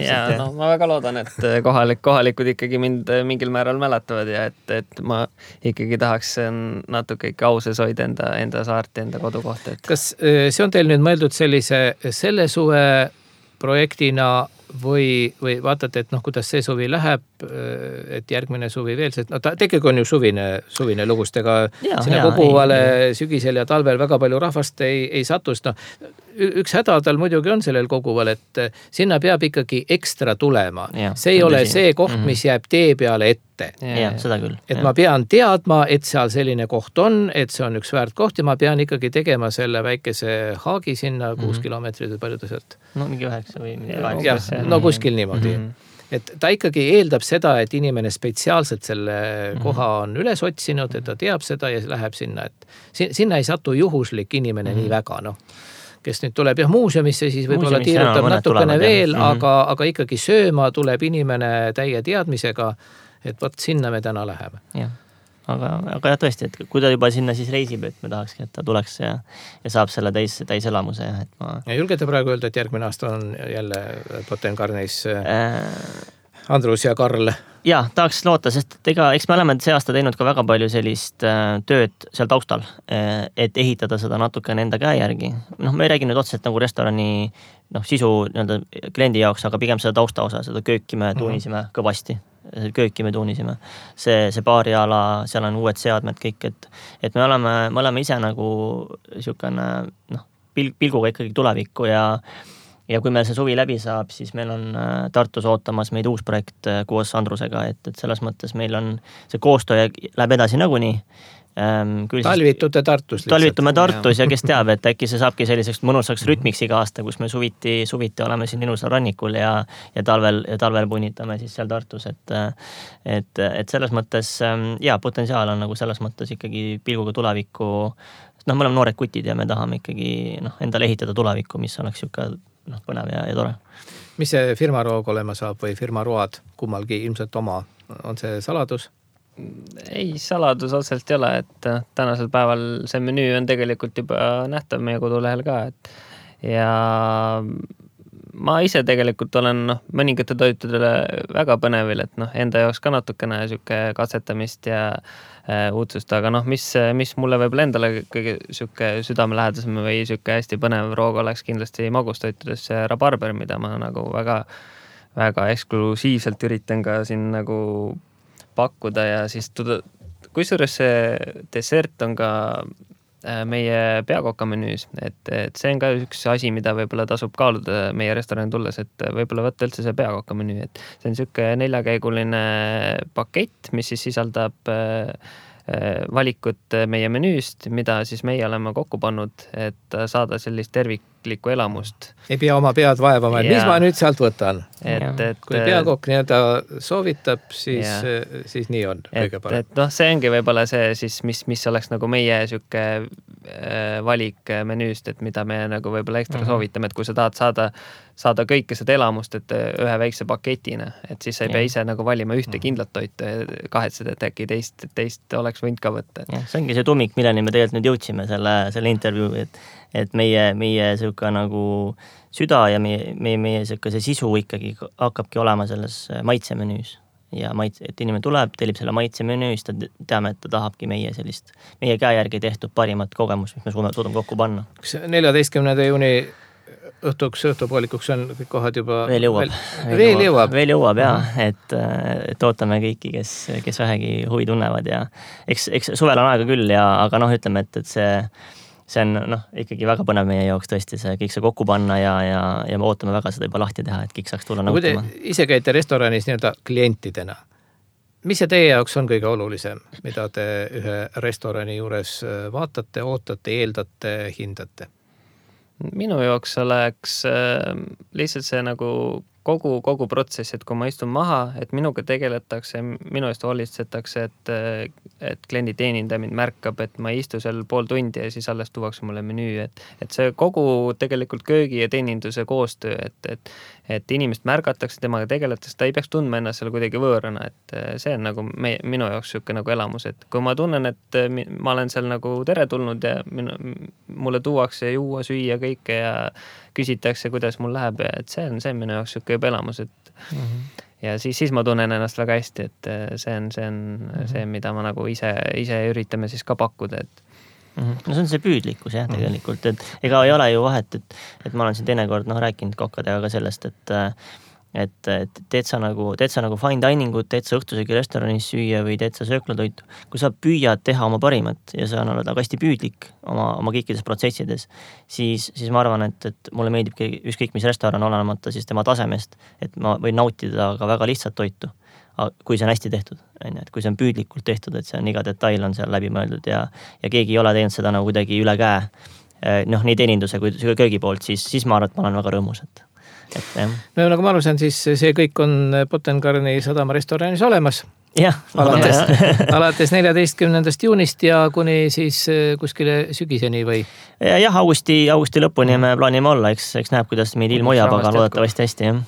Ja ma väga loodan, et kohalikud ikkagi mind mingil määral mäletavad ja et ma ikkagi tahaks natuke ikka auses hoida enda saart, enda kodukohta. Kas see on teil nüüd mõeldud selle suve projektina või vaatate, et kuidas see suvi läheb, et järgmine suvi veel, sest tegelikult on ju suvine lugustega sinna koguvale sügisel ja talvel väga palju rahvast ei satust. Üks häda tal muidugi on sellel koguval, et sinna peab ikkagi ekstra tulema. See ei ole see koht, mis jääb tee peale ette. Ja, seda küll. Et ma pean teadma, et seal selline koht on, et see on üks väärt koht ja ma pean ikkagi tegema selle väikese haagi sinna 6 kilomeetrit või palju ta sealt. No mingi 9 või mingi 8. No kuskil niimoodi. Et ta ikkagi eeldab seda, et inimene spetsiaalselt selle koha on üles otsinud, et ta teab seda ja läheb sinna. Et sinna ei satu juhuslik inimene nii väga, kes nüüd tuleb muuseumisse, siis võib-olla tiirutab natukene veel, aga ikkagi sööma tuleb inimene täie teadmisega, et võt sinna me täna läheme. Jah. Aga jah, tõesti, et kui ta juba sinna siis reisib, et me tahakski, et ta tuleks ja saab selle täis elamuse. Ja julgete praegu öelda, et järgmine aasta on jälle Botengarnis Andrus ja Karl? Ja, tahaks loota, sest eks me oleme see aasta teinud ka väga palju sellist tööd seal taustal, et ehitada seda natukene enda käe järgi. Me ei räägi nüüd otseselt nagu restorani sisu kliendi jaoks, aga pigem seda tausta osa, seda kööki me tuunisime kõvasti. Kööki me tuunisime. See baariala, seal on uued seadmed kõik, et me oleme ise nagu niisugune pilguga ikkagi tulevikku ja kui meil see suvi läbi saab, siis meil on Tartus ootamas meid uus projekt koos Andrusega, et selles mõttes meil on see koostöö läheb edasi nagunii. Talvitute Tartus lihtsalt. Talvitume Tartus ja kes teab, et äkki see saabki selliseks mõnusaks rütmiks iga aasta, kus me suviti oleme siin ilusal rannikul ja talvel punnitame siis seal Tartus, et selles mõttes potentsiaal on nagu selles mõttes ikkagi pilguga tulevikku. Me oleme noored kutid ja me tahame ikkagi endale ehitada tulevikku, mis oleks siuke põnev ja tore. Mis see firmaroog olema saab või firmaroad kummalgi ilmselt oma? On see saladus? Ei, saladus otseselt ei ole, et tänasel päeval see menüü on tegelikult juba nähtav meie kodulehel ka, ja ma ise tegelikult olen mõningate toitudele väga põnevil, et enda jaoks ka natukene siuke katsetamist ja uudsust, aga mis mulle võib-olla endale kõige siuke südamelähedasem või siuke hästi põnev roog oleks kindlasti magustoitudes see rabarber, mida ma nagu väga, väga eksklusiivselt üritan ka siin nagu pakkuda ja siis kusjuures see dessert on ka meie peakoka menüüs, et see on ka üks asi, mida võib-olla tasub kaaluda meie restorani tulles, et võib-olla võtta üldse see peakoka menüü, et see on siuke 4-käiguline pakett, mis siis sisaldab valikut meie menüüst, mida siis meie oleme kokku pannud, et saada sellist isiklikku elamust. Ei pea oma pead vaevama, et mis ma nüüd sealt võtan. Kui peakokk nii-öelda soovitab, siis nii on kõige parem. Et see ongi võib-olla see siis, mis oleks nagu meie süke valik menüüst, et mida me nagu võib-olla ekstra soovitame, et kui sa tahad saada kõike seda elamust, et ühe väikse paketina, et siis sa ei pea ise nagu valima ühte kindlat toitu ja kahetsed, et äkki teist oleks võinud ka võtta. See ongi see tuumik, milleni me tegelikult nüüd jõudsime selle intervjuu, et meie süka nagu süda ja meie süka see sisu ikkagi hakkabki olema selles maitsemenüüs. Ja et inimene tuleb, tellib selle maitsemenüüs, ta teame, et ta tahabki meie käe järgi tehtud parimat kogemus, mis me suudame kokku panna. 14. juuni õhtupoolikuks on kõik kohad juba... Veel jõuab, jah. Et ootame kõiki, kes vähegi huvi tunnevad ja eks suvel on aega küll, aga ütleme, et see on ikkagi väga põnev meie jaoks tõesti kõik see kokku panna ja me ootame väga seda juba lahti teha, et kõik saaks tulla nautima. Kui te ise käite restoranis nii-öelda klientidena, mis see teie jaoks on kõige olulisem, mida te ühe restorani juures vaatate, ootate, eeldate, hindate? Minu jaoks oleks lihtsalt see nagu kogu protsess, et kui ma istun maha, et minuga tegeletakse, minu eest hoolitsetakse, et kliendi teenindaja mind märkab, et ma ei istu seal pool tundi ja siis alles tuuakse mulle menüü, et see kogu tegelikult köögi ja teeninduse koostöö, et inimest märgatakse, temaga tegeletakse, ta ei peaks tundma ennast seal kuidagi võõrana, et see on nagu minu jaoks siuke nagu elamus, et kui ma tunnen, et ma olen seal nagu teretulnud ja mulle tuuakse juua, süüa kõike ja küsitakse, kuidas mul läheb, et see on minu jaoks siuke juba elamus, et ja siis ma tunnen ennast väga hästi, et see on see, mida ma nagu ise üritame siis ka pakkuda, et No see on see püüdlikkus jah tegelikult, et ega ei ole ju vahet, et ma olen siin teinekord rääkinud kokkadega ka sellest, et teed sa nagu fine diningut, teed sa õhtusöögi restoranis süüa või teed sa sööklatoitu. Kui sa püüad teha oma parimat ja sa oled hästi püüdlik oma kõikides protsessides, siis ma arvan, et mulle meeldib ükskõik mis restoran olenemata siis tema tasemest, et ma võin nautida ka väga lihtsat toitu, kui see on hästi tehtud, et kui see on püüdlikult tehtud, et see on iga detail on seal läbi mõeldud ja keegi ei ole teinud seda nagu kuidagi üle käe, nii teeninduse kui köögi poolt, siis ma arvan, et ma olen väga rõõmus, No nagu ma alusen, siis see kõik on Pottengarni sadama restoranis olemas. Jah. Alates 14. juunist ja kuni siis kuskile sügiseni või? Jah, augusti lõpuni me plaanime olla, eks näeb, kuidas meid ilm hoiab, aga loodetavasti hästi, jah.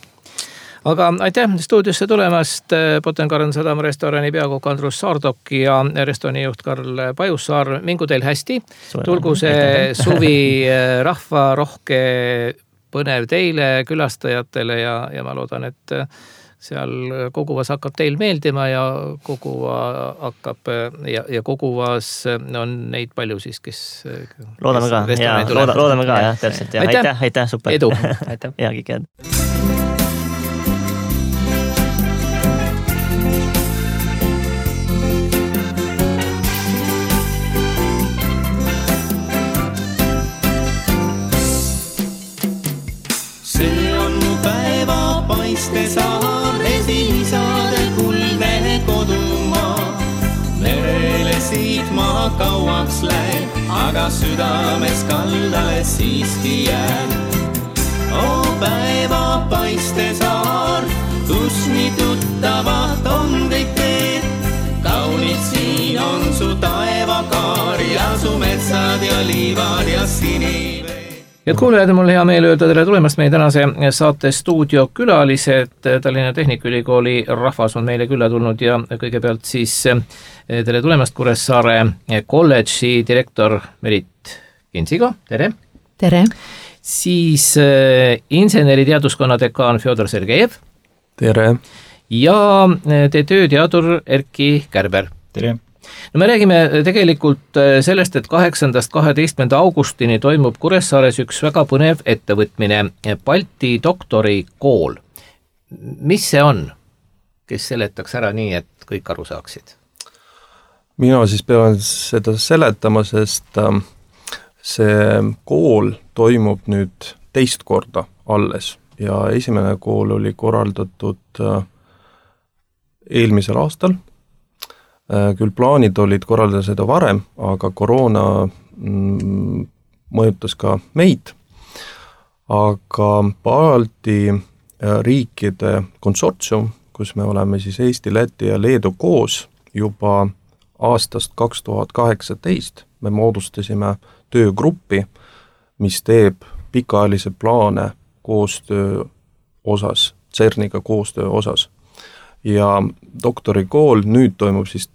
Aga aitäh stuudiosse tulemast Pottengarni sadama restorani peakokk Andrus Saardok ja restorani juht Karl Pajussaar. Mingu teil hästi. Tulgu see suvi rahvarohke põnev teile, külastajatele ja ma loodan, et seal koguvas hakkab teil meeldima ja koguvas on neid palju siis, kes loodame ka, jah, täpselt. Aitäh, super. Edu. Ja, kõik head. Saar esiisade kuldne kodumaa. Merele siit maa kauaks lähen, aga südames kaldale siiski jään. Päeva paiste saar, kus nii tuttavat on kõik teed. Kaunid siin on su taevakaar ja su metsad ja liivad ja siniveed. Head kuulajad, mul hea meel öelda tere tulemast meie tänase saate stuudio külalised. Tallinna Tehnikaülikooli rahvas on meile külla tulnud ja kõigepealt siis tere tulemast Kuressaare kolledži direktor Merit Kinsigo. Tere! Tere! Siis inseneriteaduskonna dekaan Fjodor Sergejev. Tere! Ja teie tööteadur Erki Kärber. Tere! No me räägime tegelikult sellest, et 8.–12. augustini toimub Kuressaares üks väga põnev ettevõtmine, Balti doktorikool. Mis see on? Kes seletaks ära nii, et kõik aru saaksid? Mina siis pean seda seletama, sest see kool toimub nüüd teist korda alles ja esimene kool oli korraldatud eelmisel aastal. Küll plaanid olid korraldada seda varem, aga koroona mõjutas ka meid. aga Balti riikide konsortsium, kus me oleme siis Eesti, Läti ja Leedu koos juba aastast 2018, me moodustasime töögruppi, mis teeb pikaajalisi plaane koostöö osas, CERN-iga koostöö osas. Ja doktorikool nüüd toimub siis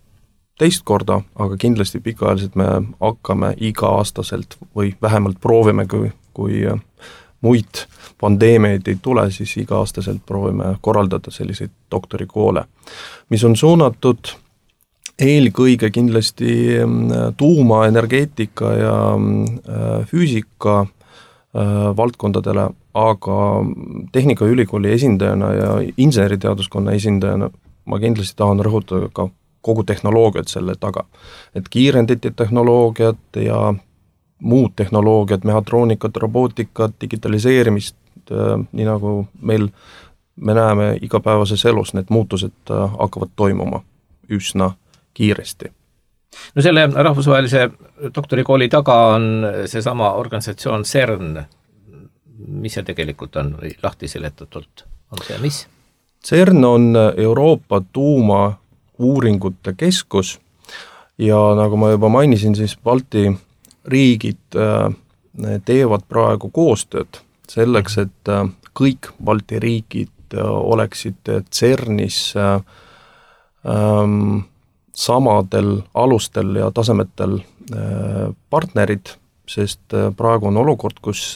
teist korda, aga kindlasti pikaajaliselt me hakkame iga-aastaselt või vähemalt proovime, kui muid pandeemiaid ei tule, siis iga-aastaselt proovime korraldada selliseid doktorikoole, mis on suunatud eelkõige kindlasti tuumaenergeetika ja füüsika valdkondadele, aga Tehnikaülikooli esindajana ja inseneriteaduskonna esindajana ma kindlasti tahan rõhutada ka kogu tehnoloogiat selle taga. Et kiirendite tehnoloogiat ja muud tehnoloogiat, mehhatroonikat, robootikat, digitaliseerimist, nii nagu me näeme igapäevases elus, need muutused hakkavad toimuma üsna kiiresti. No selle rahvusvahelise doktorikooli taga on seesama organisatsioon CERN, mis see tegelikult on või lahti seletatult on see, mis? CERN on Euroopa tuumauuringute keskus ja nagu ma juba mainisin, siis Balti riigid teevad praegu koostööd selleks, et kõik Balti riigid oleksid CERNis samadel alustel ja tasemetel partnerid, sest praegu on olukord, kus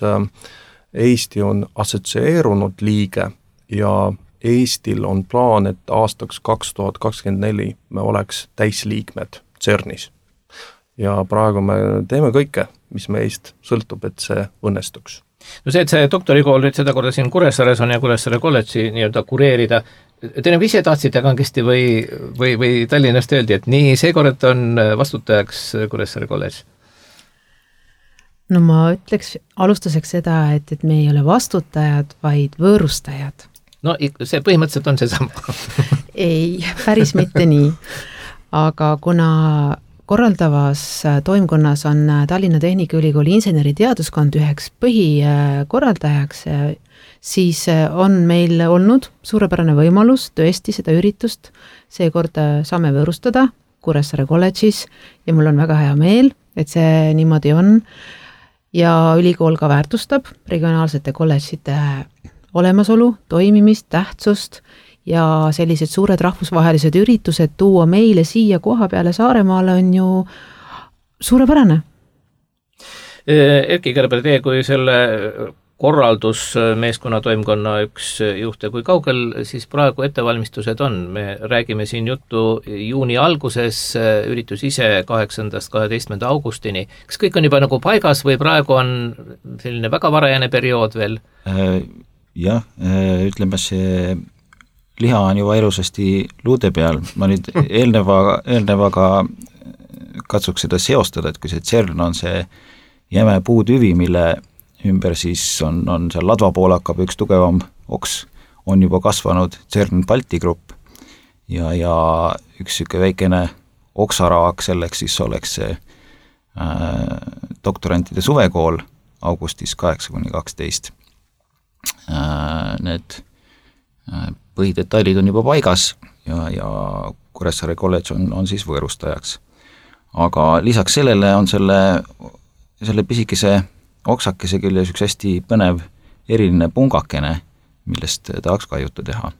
Eesti on assotsieerunud liige ja Eestil on plaan, et aastaks 2024 me oleks täisliikmed CERNis. Ja praegu me teeme kõike, mis meist sõltub, et see õnnestuks. No see, et see doktorikool nüüd seda korda siin Kuressaares on ja Kuressaare kolledži nii-öelda kureerida, te nagu ise tahtsite kangesti või Tallinnast öeldi, et nii, seekord on vastutajaks Kuressaare kolledž? No ma ütleks alustuseks seda, et me ei ole vastutajad, vaid võõrustajad. No see põhimõtteliselt on see sama. Ei, päris mitte nii. Aga kuna korraldavas toimkonnas on Tallinna Tehnikaülikooli inseneriteaduskond üheks põhikorraldajaks, siis on meil olnud suurepärane võimalus tõesti seda üritust seekord saame võõrustada Kuressaare kolledžis ja mul on väga hea meel, et see niimoodi on ja ülikool ka väärtustab regionaalsete kolledžite olemasolu, toimimist, tähtsust ja sellised suured rahvusvahelised üritused tuua meile siia koha peale Saaremaale on ju suurepärane. Erki Kerber, teie kui selle korraldusmeeskonna toimkonna üks juhte, kui kaugel siis praegu ettevalmistused on? Me räägime siin juttu juuni alguses, üritus ise 8.–12. augustini. Kas kõik on juba nagu paigas või praegu on selline väga varajane periood veel? Jah, ütleme see liha on juba ilusasti luude peal. Ma nüüd eelnevaga katsuks seda seostada, et kui see CERN on see jäme puutüvi, mille ümber siis on seal ladva pool hakkab üks tugevam oks, on juba kasvanud CERN Balti grupp ja üks siuke väikene oksaraak selleks siis oleks see doktorantide suvekool augustis 8–12. Need põhidetailid on juba paigas ja Kuressaare kolledž on siis võõrustajaks. Aga lisaks sellele on selle pisikese oksakese küll üks hästi põnev eriline pungakene, millest tahaks ka juttu teha.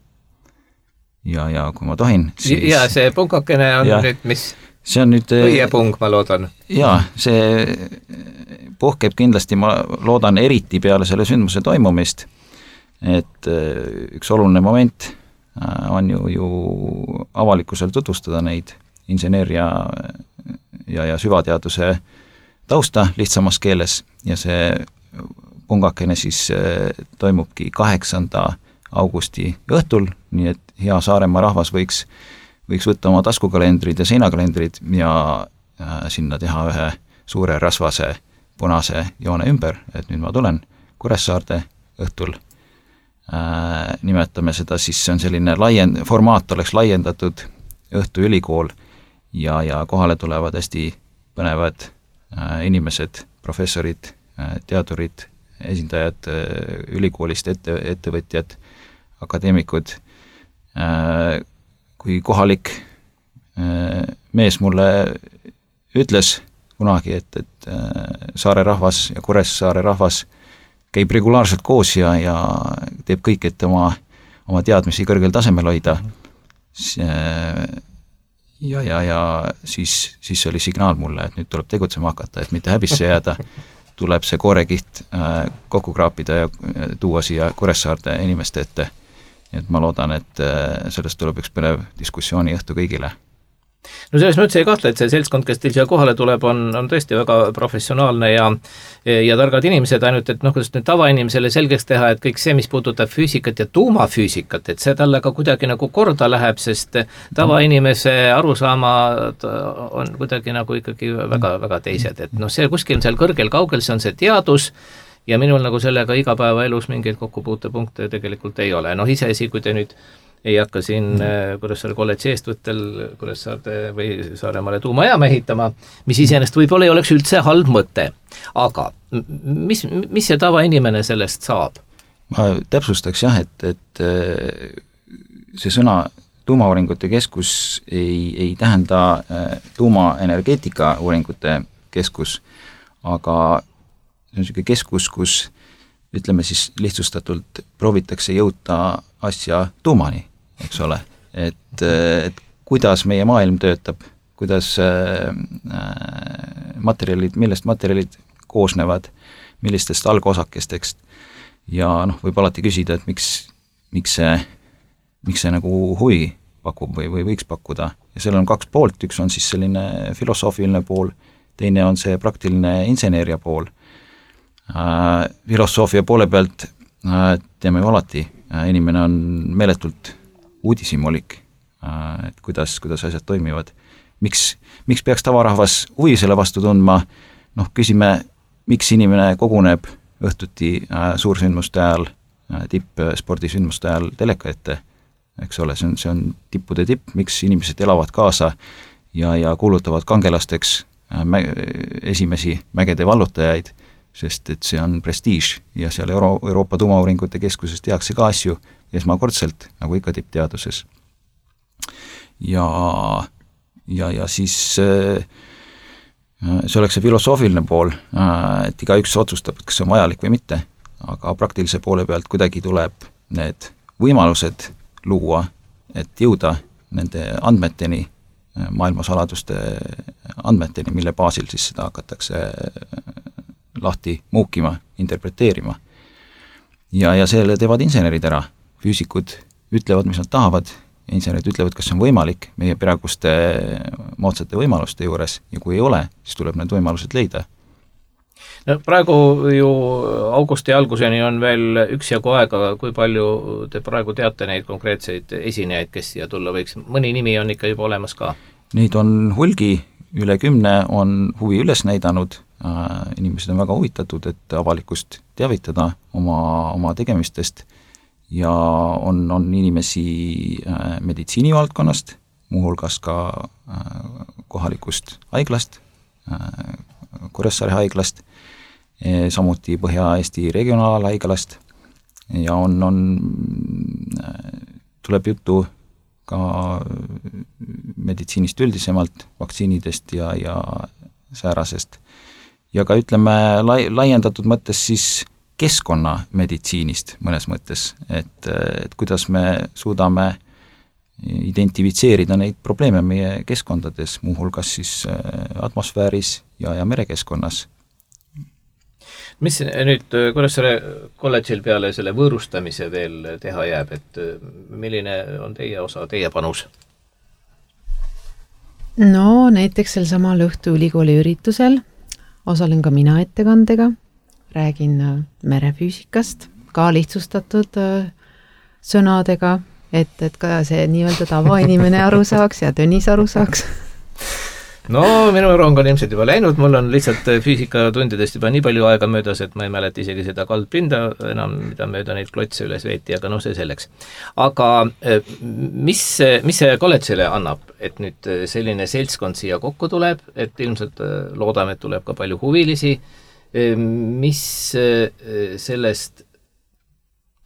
Ja kui ma tohin, siis... Ja see pungakene on nüüd mis? See on nüüd... Õiepung, ma loodan. Ja, see puhkeb kindlasti, ma loodan eriti peale selle sündmuse toimumist, et üks oluline moment on ju avalikkusel tutvustada neid inseneeria ja süvateaduse tausta lihtsamas keeles ja see pungakene siis toimubki 8. augusti õhtul, nii et hea Saaremaa rahvas võiks võtta oma taskukalendrid ja seinakalendrid ja sinna teha ühe suure rasvase punase joone ümber, et nüüd ma tulen Kuressaarde õhtul. Nimetame seda siis, see on selline formaat oleks laiendatud õhtuülikool ja kohale tulevad hästi põnevad inimesed, professorid, teadurid, esindajad ülikoolist, ettevõtjad, akadeemikud. Kui kohalik mees mulle ütles kunagi, et Saare rahvas ja Kuressaare rahvas käib regulaarselt koos ja teeb kõik, et oma teadmisi kõrgel tasemel hoida. Ja siis oli signaal mulle, et nüüd tuleb tegutsema hakata, et mitte häbisse jääda, tuleb see koorekiht kokku kraapida ja tuua siia Kuressaarde inimeste ette. Et ma loodan, et sellest tuleb üks põnev diskussiooni õhtu kõigile. No selles mõttes ei kahtle, et see seltskond, kes teil siia kohale tuleb, on tõesti väga professionaalne ja targad inimesed, ainult et kuidas nüüd tavainimesele selgeks teha, et kõik see, mis puudutab füüsikat ja tuumafüüsikat, et see talle ka kuidagi nagu korda läheb, sest tavainimese arusaamad on kuidagi nagu ikkagi väga, väga teised, et see kuskil seal kõrgel kaugel, see on see teadus ja minul nagu sellega igapäevaelus mingeid kokkupuutepunkte tegelikult ei ole. Iseasi, kui te nüüd ei hakka siin Kuressaare kolledži eestvõttel Kuressaarde või Saaremaale tuumajaama ehitama, mis iseenesest võib-olla ei oleks üldse halb mõte. Aga mis see tavainimene sellest saab? Ma täpsustaks et see sõna tuumauuringute keskus ei tähenda tuumaenergeetika uuringute keskus, aga see on selline keskus, kus ütleme siis lihtsustatult proovitakse jõuda asja tuumani, eks ole, et kuidas meie maailm töötab, kuidas millest materjalid koosnevad, millistest algosakestest ja võib alati küsida, et miks see nagu huvi pakub või võiks pakkuda ja sellel on kaks poolt, üks on siis selline filosoofiline pool, teine on see praktiline inseneeria pool. Filosoofia poole pealt teeme ju alati, inimene on meeletult uudishimulik, et kuidas asjad toimivad. Miks peaks tavarahvas huvi selle vastu tundma? Küsime, miks inimene koguneb õhtuti suursündmuste ajal, tippspordisündmuste ajal teleka ette, eks ole, see on tippude tipp, miks inimesed elavad kaasa ja kuulutavad kangelasteks esimesi mägede vallutajaid, sest et see on prestiiž ja seal Euroopa tuumauuringute keskuses tehakse ka asju esmakordselt, nagu ikka tippteaduses. Ja siis see oleks see filosoofiline pool, et igaüks otsustab, kas see on vajalik või mitte, aga praktilise poole pealt kuidagi tuleb need võimalused luua, et jõuda nende andmeteni, maailmasaladuste andmeteni, mille baasil siis seda hakatakse lahti muukima, interpreteerima. Ja selle teevad insenerid ära. Füüsikud ütlevad, mis nad tahavad, insenerid ütlevad, kas see on võimalik meie praeguste moodsate võimaluste juures ja kui ei ole, siis tuleb need võimalused leida. Praegu ju augusti alguseni on veel üksjagu aega, kui palju te praegu teate neid konkreetseid esinejaid, kes siia tulla võiks? Mõni nimi on ikka juba olemas ka? Neid on hulgi, üle 10 on huvi üles näidanud, inimesed on väga huvitatud, et avalikust teavitada oma tegemistest ja on inimesi meditsiinivaldkonnast, muuhulgas ka kohalikust haiglast, Kuressaare haiglast, samuti Põhja-Eesti regionaalhaiglast ja tuleb juttu ka meditsiinist üldisemalt, vaktsiinidest ja säärasest. Ja ka ütleme laiendatud mõttes siis keskkonnameditsiinist mõnes mõttes, et kuidas me suudame identifitseerida neid probleeme meie keskkondades, muuhulgas siis atmosfääris ja merekeskkonnas. Mis nüüd Kuressaare kolledžil peale selle võõrustamise veel teha jääb, et milline on teie osa, teie panus? Näiteks sel samal õhtu ülikooli üritusel osalen ka mina ettekandega, räägin merefüüsikast, ka lihtsustatud sõnadega, et ka see nii-öelda tavainimene aru saaks ja Tõnis aru saaks. Minu rong on ilmselt juba läinud, mul on lihtsalt füüsikatundidest juba nii palju aega möödas, et ma ei mäleta isegi seda kaldpinda enam, mida mööda neid klotse üles veeti, aga see selleks. Aga mis see kolledžile annab, et nüüd selline seltskond siia kokku tuleb, et ilmselt loodame, et tuleb ka palju huvilisi, Mis sellest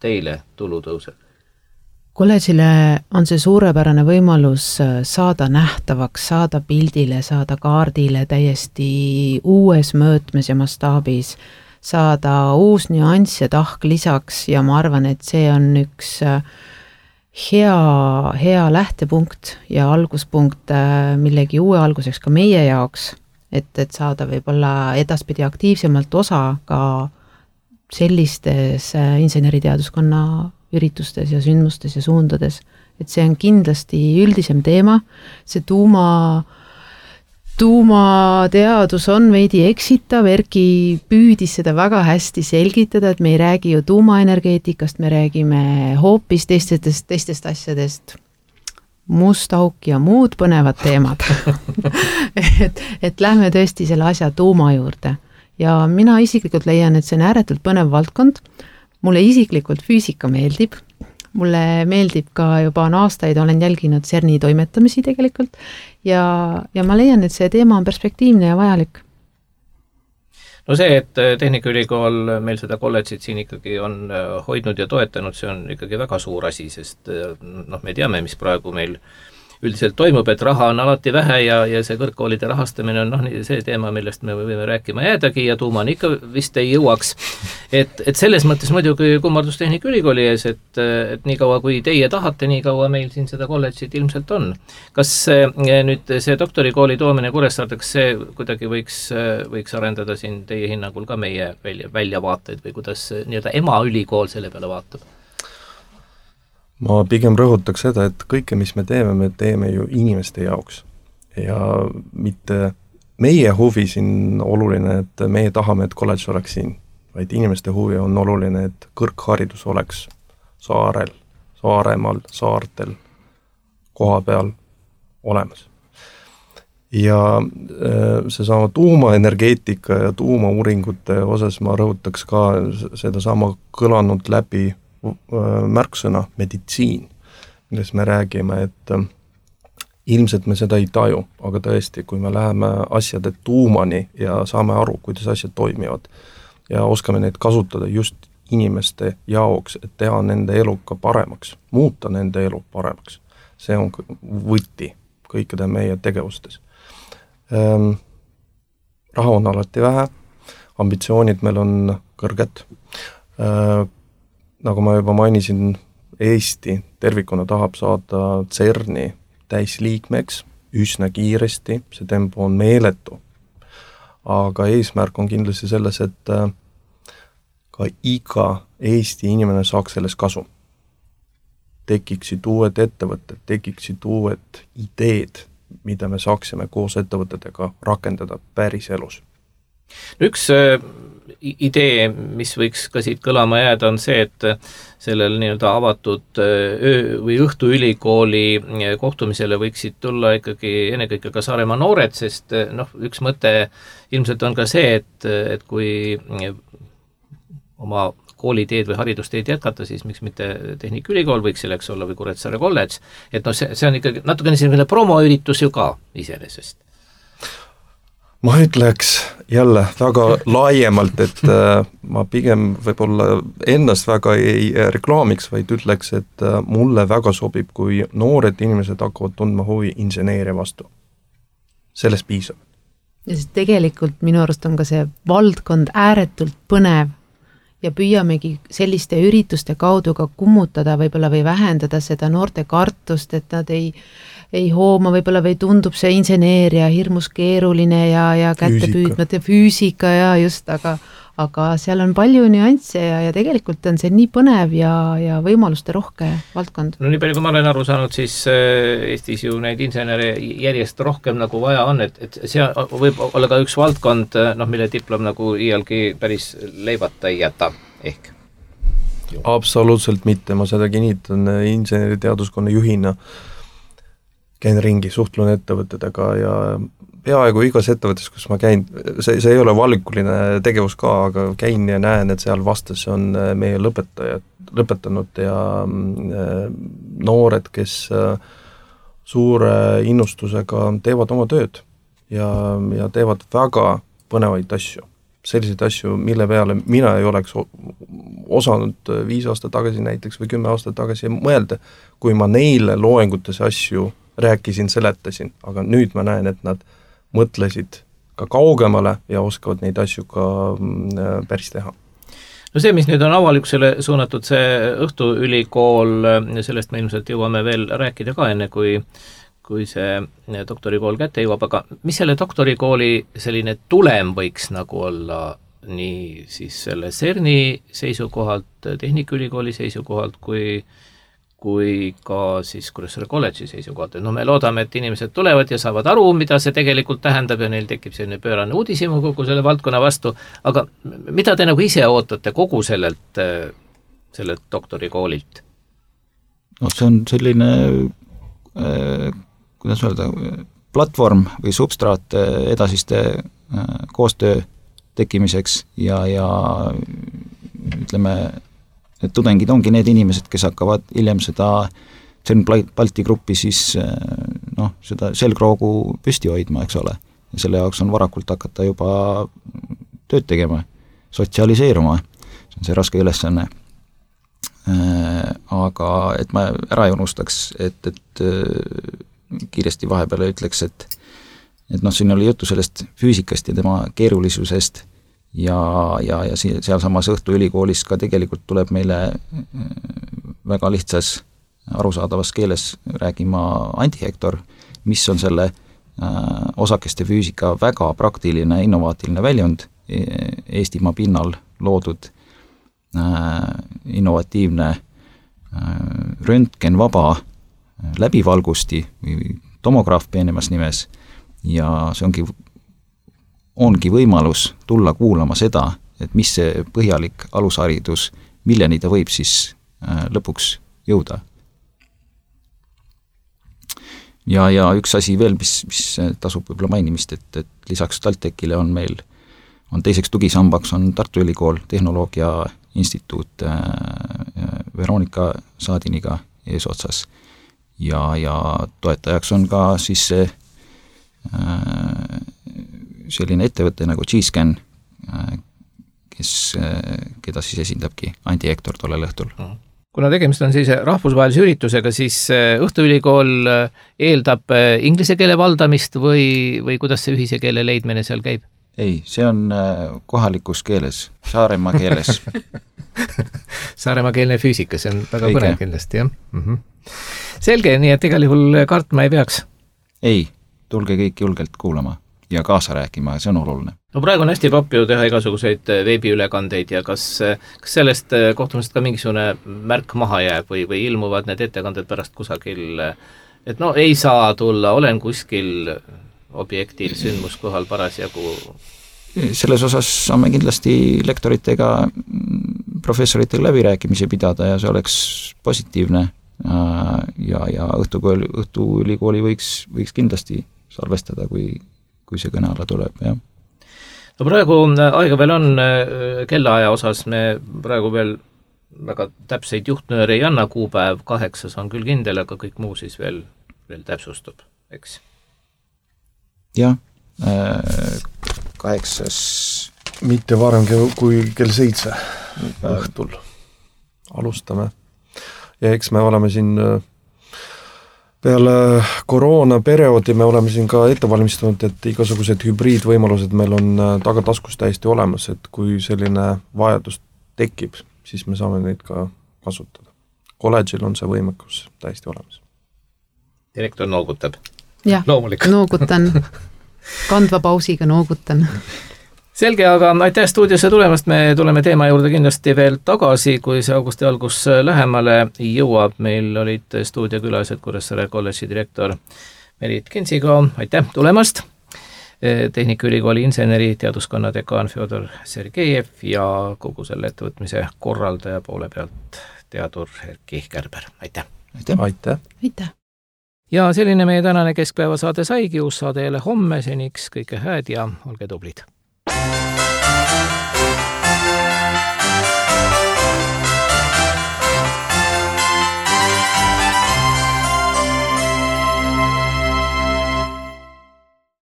teile tulu tõuseb? Kolledžile on see suurepärane võimalus saada nähtavaks, saada pildile, saada kaardile täiesti uues mõõtmes ja mastaabis, saada uus nüanss ja tahk lisaks ja ma arvan, et see on üks hea lähtepunkt ja alguspunkt millegi uue alguseks ka meie jaoks, et saada võib-olla edaspidi aktiivsemalt osa ka sellistes inseneriteaduskonna üritustes ja sündmustes ja suundades, et see on kindlasti üldisem teema, see tuumateadus on veidi eksitav, Erki püüdis seda väga hästi selgitada, et me ei räägi ju tuumaenergeetikast, me räägime hoopis teistest asjadest, must auk ja muud põnevad teemad. et lähme tõesti selle asja tuuma juurde ja mina isiklikult leian, et see on ääretult põnev valdkond. Mulle isiklikult füüsika meeldib, mulle meeldib ka juba aastaid, olen jälginud CERN-i toimetamisi tegelikult ja ma leian, et see teema on perspektiivne ja vajalik. No see, et Tehnikaülikool meil seda kolledžit siin ikkagi on hoidnud ja toetanud, see on ikkagi väga suur asi, sest me teame, mis praegu meil üldiselt toimub, et raha on alati vähe ja see kõrgkoolide rahastamine on see teema, millest me võime rääkima jäädagi ja tuumani ikka vist ei jõuaks. Et selles mõttes muidugi kummardus Tehnikaülikooli ees, et nii kaua kui teie tahate, nii kaua meil siin seda kolledžit ilmselt on. Kas nüüd see doktorikooli toomine Kuressaardeks, see kuidagi võiks arendada siin teie hinnangul ka meie väljavaateid või kuidas nii-öelda emaülikool selle peale vaatab? Ma pigem rõhutaks seda, et kõike, mis me teeme ju inimeste jaoks ja mitte meie huvi siin oluline, et meie tahame, et kolledž oleks siin, vaid inimeste huvi on oluline, et kõrgharidus oleks Saaremaal, saartel, koha peal olemas. Ja seesama tuumaenergeetika ja tuumauuringute osas ma rõhutaks ka seda sama kõlanud läbi märksõna meditsiin, milles me räägime, et ilmselt me seda ei taju, aga tõesti, kui me läheme asjade tuumani ja saame aru, kuidas asjad toimivad ja oskame neid kasutada just inimeste jaoks, et teha nende elu ka paremaks, muuta nende elu paremaks. See on võti kõikide meie tegevustes. Raha on alati vähe, ambitsioonid meil on kõrged. Nagu ma juba mainisin, Eesti tervikuna tahab saada CERN-i täisliikmeks üsna kiiresti, see tempo on meeletu. Aga eesmärk on kindlasti selles, et ka iga Eesti inimene saaks selles kasu. Tekiksid uued ettevõtted, tekiksid uued ideed, mida me saaksime koos ettevõtetega rakendada päris elus. Üks idee, mis võiks ka siit kõlama jääda, on see, et sellel nii-öelda avatud öö- või õhtuülikooli kohtumisele võiksid tulla ikkagi ennekõike ka Saaremaa noored, sest üks mõte ilmselt on ka see, et kui oma kooliteed või haridusteed jätkata, siis miks mitte Tehnikaülikool võiks selleks olla või Kuressaare kolledž, et see on ikkagi natukene selline promoüritus ju ka iseenesest. Ma ütleks jälle väga laiemalt, et ma pigem võib-olla ennast väga ei reklaamiks, vaid ütleks, et mulle väga sobib, kui noored inimesed hakkavad tundma huvi inseneeria vastu. Sellest piisab. Ja siis tegelikult minu arust on ka see valdkond ääretult põnev ja püüamegi selliste ürituste kaudu ka kummutada võib-olla või vähendada seda noorte kartust, et nad ei hooma võib-olla või tundub see inseneeria hirmus keeruline ja kätte püüdmata füüsika ja just, aga seal on palju nüansse ja tegelikult on see nii põnev ja võimaluste rohke valdkond. No nii palju, kui ma olen aru saanud, siis Eestis ju neid insenere järjest rohkem nagu vaja on, et see võib olla ka üks valdkond, mille diplom nagu iialgi päris leibata ei jäta, ehk? Absoluutselt mitte, ma seda kinnitan inseneriteaduskonna juhina, käin ringi, suhtlen ettevõtetega ja peaaegu igas ettevõttes, kus ma käin, see ei ole valikuline tegevus ka, aga käin ja näen, et seal vastas on meie lõpetanud ja noored, kes suure innustusega teevad oma tööd ja teevad väga põnevaid asju. selliseid asju, mille peale mina ei oleks osanud 5 aastat tagasi näiteks või 10 aastat tagasi mõelda, kui ma neile loengutes asju rääkisin, seletasin, aga nüüd ma näen, et nad mõtlesid ka kaugemale ja oskavad neid asju ka päris teha. No see, mis nüüd on avalikkusele suunatud, see õhtuülikool, sellest me ilmselt jõuame veel rääkida ka enne, kui see doktorikool kätte jõuab, aga mis selle doktorikooli selline tulem võiks nagu olla nii siis selle CERN-i seisukohalt, Tehnikaülikooli seisukohalt, kui ka siis Kuressaare kolledži seisukohalt. No me loodame, et inimesed tulevad ja saavad aru, mida see tegelikult tähendab ja neil tekib selline pöörane uudishimu kogu selle valdkonna vastu, aga mida te nagu ise ootate kogu sellelt doktorikoolilt? No see on selline, kuidas öelda, platvorm või substraat edasiste koostöö tekkimiseks ja ütleme, et tudengid ongi need inimesed, kes hakkavad hiljem seda CERN Balti gruppi siis seda selgroogu püsti hoidma, eks ole. Ja selle jaoks on varakult hakata juba tööd tegema, sotsialiseeruma, see on see raske ülesanne. Aga et ma ära ei unustaks, et kiiresti vahepeale ütleks, et siin oli juttu sellest füüsikast ja tema keerulisusest ja sealsamas Õhtuülikoolis ka tegelikult tuleb meile väga lihtsas arusaadavas keeles räägima antihektor, mis on selle osakeste füüsika väga praktiline, innovaatiline väljund Eestimaa pinnal loodud innovatiivne röntgenvaba läbivalgusti või tomograaf peenemas nimes ja see ongi võimalus tulla kuulama seda, et mis see põhjalik alusharidus, milleni ta võib siis lõpuks jõuda. Ja üks asi veel, mis tasub võib-olla mainimist, et lisaks TalTechile on meil teiseks tugisambaks on Tartu Ülikool Tehnoloogia Instituut Veronika Saadiniga eesotsas ja toetajaks on ka siis see selline ettevõte nagu G-Scan, keda siis esindabki Andi Hektor tollel õhtul. Kuna tegemist on siis rahvusvahelise üritusega, siis Õhtuülikool eeldab inglise keele valdamist või kuidas see ühise keele leidmine seal käib? Ei, see on kohalikus keeles, Saaremaa keeles. Saaremaa keelne füüsika, see on väga põnev kindlasti, jah. Selge, nii et igal juhul kartma ei peaks? Ei, tulge kõik julgelt kuulama ja kaasa rääkima, see on oluline. No praegu on hästi papp ju teha igasuguseid veebiülekandeid ja kas sellest kohtumisest ka mingisugune märk maha jääb või ilmuvad need ettekanded pärast kusagil, et ei saa tulla, olen kuskil objektil sündmuskohal parasjagu? Selles osas saame kindlasti lektoritega, professoritega läbirääkimisi pidada ja see oleks positiivne ja Õhtuülikooli võiks kindlasti salvestada, kui see kõne alla tuleb, jah. No praegu aega veel on kellaaja osas, me praegu veel väga täpseid juhtnööre ei anna, kuupäev 8 on küll kindel, aga kõik muu siis veel täpsustub, eks? Jah, 8. Mitte varem kui kell 7 õhtul alustame. Ja eks me oleme siin peale koroonaperioodi me oleme siin ka ette valmistunud, et igasugused hübriidvõimalused meil on tagataskus täiesti olemas, et kui selline vajadus tekib, siis me saame neid ka kasutada. Kolledžil on see võimekus täiesti olemas. Direktor noogutab. Jah, noogutan. Kandva pausiga noogutan. Selge, aga aitäh stuudiosse tulemast, me tuleme teema juurde kindlasti veel tagasi, kui see augusti algus lähemale jõuab. Meil olid stuudiokülalised Kuressaare kolledži direktor Merit Kinsiga, aitäh tulemast, Tehnikaülikooli inseneri teaduskonna dekaan Fjodor Sergejev ja kogu selle ettevõtmise korraldaja poole pealt teadur Erki Kärber, aitäh! Aitäh! Aitäh! Ja selline meie tänane keskpäevasaade saigi, uus saade jälle homme, seniks kõike hääd ja olge tublid!